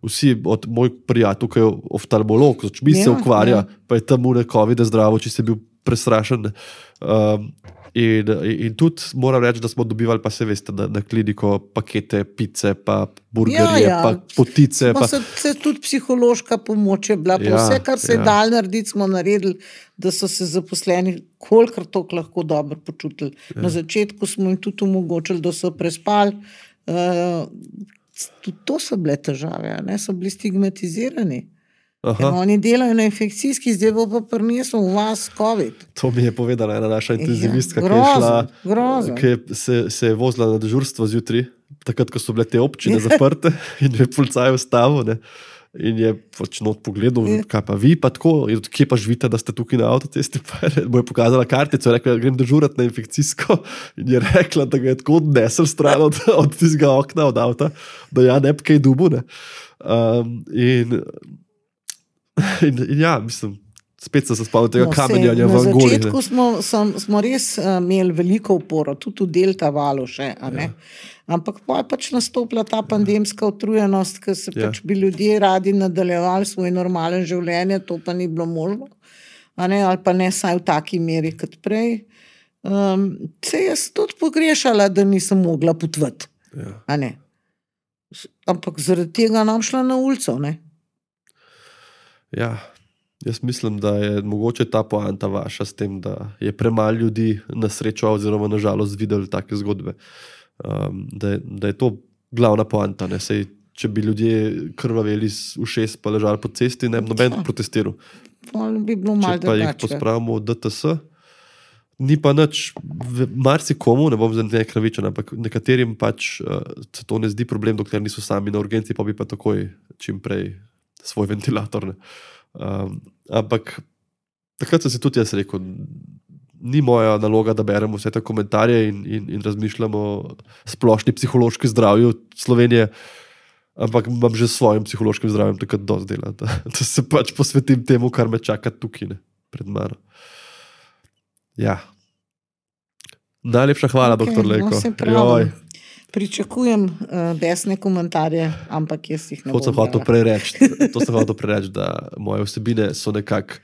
vsi, od moj prijatelj, ki je oftalmolog, z očmi ja, se ukvarja, ja. pa je tam v nekovide zdravo, če si bil prestrašen. Um, In, in tudi moram reči, da smo dobivali, pa se veste, na, na kliniko pakete, pice, pa burgerje, ja, ja. pa potice. Pa, pa... Se, se tudi psihološka pomoč je bila, pa ja, vse, kar se ja. je dal narediti, smo naredili, da so se zaposleni kolikor toliko lahko dobro počutili. Ja. Na začetku smo jim tudi omogočili, da so prespali. Uh, tudi to so bile težave, ne? So bili stigmatizirani. Oni delajo na infekcijski, zdaj bo pa prinesel v vas COVID. To mi je povedala ena naša intenzivistka, ja, grozno, ki je šla, ki se, se je vozila na dežurstvo zjutraj, takrat, ko so bile te občine zaprte in je policaj ustavil, ne, in je pač not pogledal, kaj pa vi pa tako, in kje pa živite, da ste tukaj na avtocesti, pa je, bo je pokazala kartico, je rekla, da grem dežurati na infekcijsko in je rekla, da ga je tako odnesel stran od, od tistega okna, od avta, da ja, ne bi kaj dubu, ne. Um, in In, in ja, mislim, spet sem se spomnil tega no, kamenjanja v Angoli. Na začetku smo, sem, smo res uh, imeli veliko uporo, tudi v delta valu še, a ne? Ja. Ampak pa je pač nastopila ta pandemska utrujenost, ker se ja. pač bi ljudje radi nadaljevali svoj normalen življenje, to pa ni bilo možno, a ne? Ali pa ne saj v taki meri kot prej. Um, se jaz tudi pogrešala, da nisem mogla potvati. Ja. A ne? Ampak zaradi tega nam šla na ulico, ne? Ja, jaz mislim, da je mogoče ta poanta vaša s tem, da je premalo ljudi na srečo oziroma na žalost videli take zgodbe. Um, da, je, da je to glavna poanta. Ne? Sej, če bi ljudje krvaveli z ušes pa ležali po cesti, ne bi noben protestiral. Bi bilo malo če pa jih pospravimo v D T S, ni pa nič, marsikomu, ne bom za ne kravičen, ampak nekaterim pač uh, se to ne zdi problem, dokler niso sami na urgenci, pa bi pa takoj čim prej svoj ventilator. Ne? Um, ampak takrat sem si tudi jaz rekel, ni moja naloga, da beremo vse te komentarje in, in, in razmišljamo o splošni psihološki zdravju Slovenije, ampak imam že s svojim psihološkim zdravjem takrat dosti dela, da, da se pač posvetim temu, kar me čaka tukaj, ne, pred mano. Ja. Najlepša hvala, okay, doktor Lejko. No, se pravi, pričakujem uh, besne komentarje, ampak jaz jih ne bom. To sem hotel prereči, to sem hotel prereči, da moje vsebine so nekako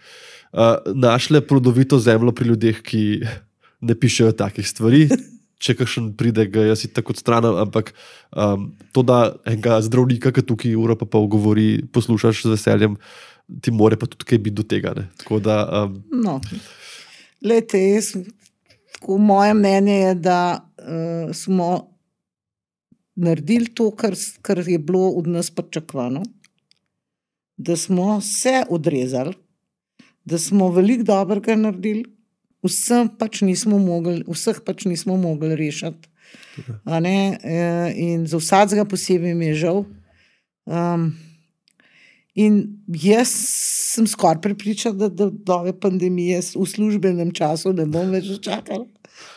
uh, našle plodovito zemljo pri ljudeh, ki ne pišejo takih stvari. Če kakšen pride, ga jaz si tako odstranim, ampak um, to, da enega zdravnika, ki tukaj uro pa pol govori, poslušaš z veseljem, ti more pa tudi kaj biti do tega. Ne? Tako da... Um, no, lejte, jaz, tako moje mnenje je, da uh, smo naredili to, kar, kar je bilo od nas pričakovano, da smo se odrezali, da smo veliko dobrega naredili, vsem pač nismo mogli, vseh pač nismo mogli rešiti. A ne? In za vsakega posebej mi je žal. Um, in jaz sem skoraj prepričana, da do nove pandemije v službenem času ne bom več čakala.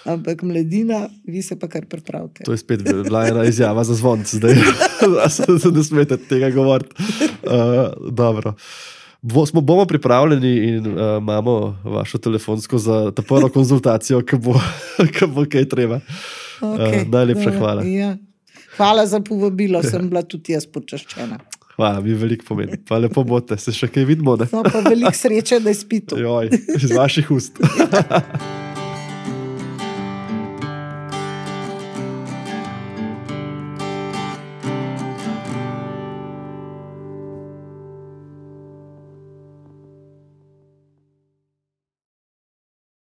Ampak mladina, vi se pa kar pripravite. To je spet bila ena izjava za zvonc zdaj. Se ne smete tega govoriti. Uh, dobro. Bo, smo, bomo pripravljeni in uh, imamo vašo telefonsko za ta prvo konzultacijo, ki bo, ki bo kaj treba. Okay, uh, najlepša hvala. Ja. Hvala za povabilo, sem bila tudi jaz počaščena. Hvala, mi veliko pomeni. Pa lepo bote, se še kaj vidimo. Ne? No, pa veliko sreče, da je spito. Joj, iz vaših ust.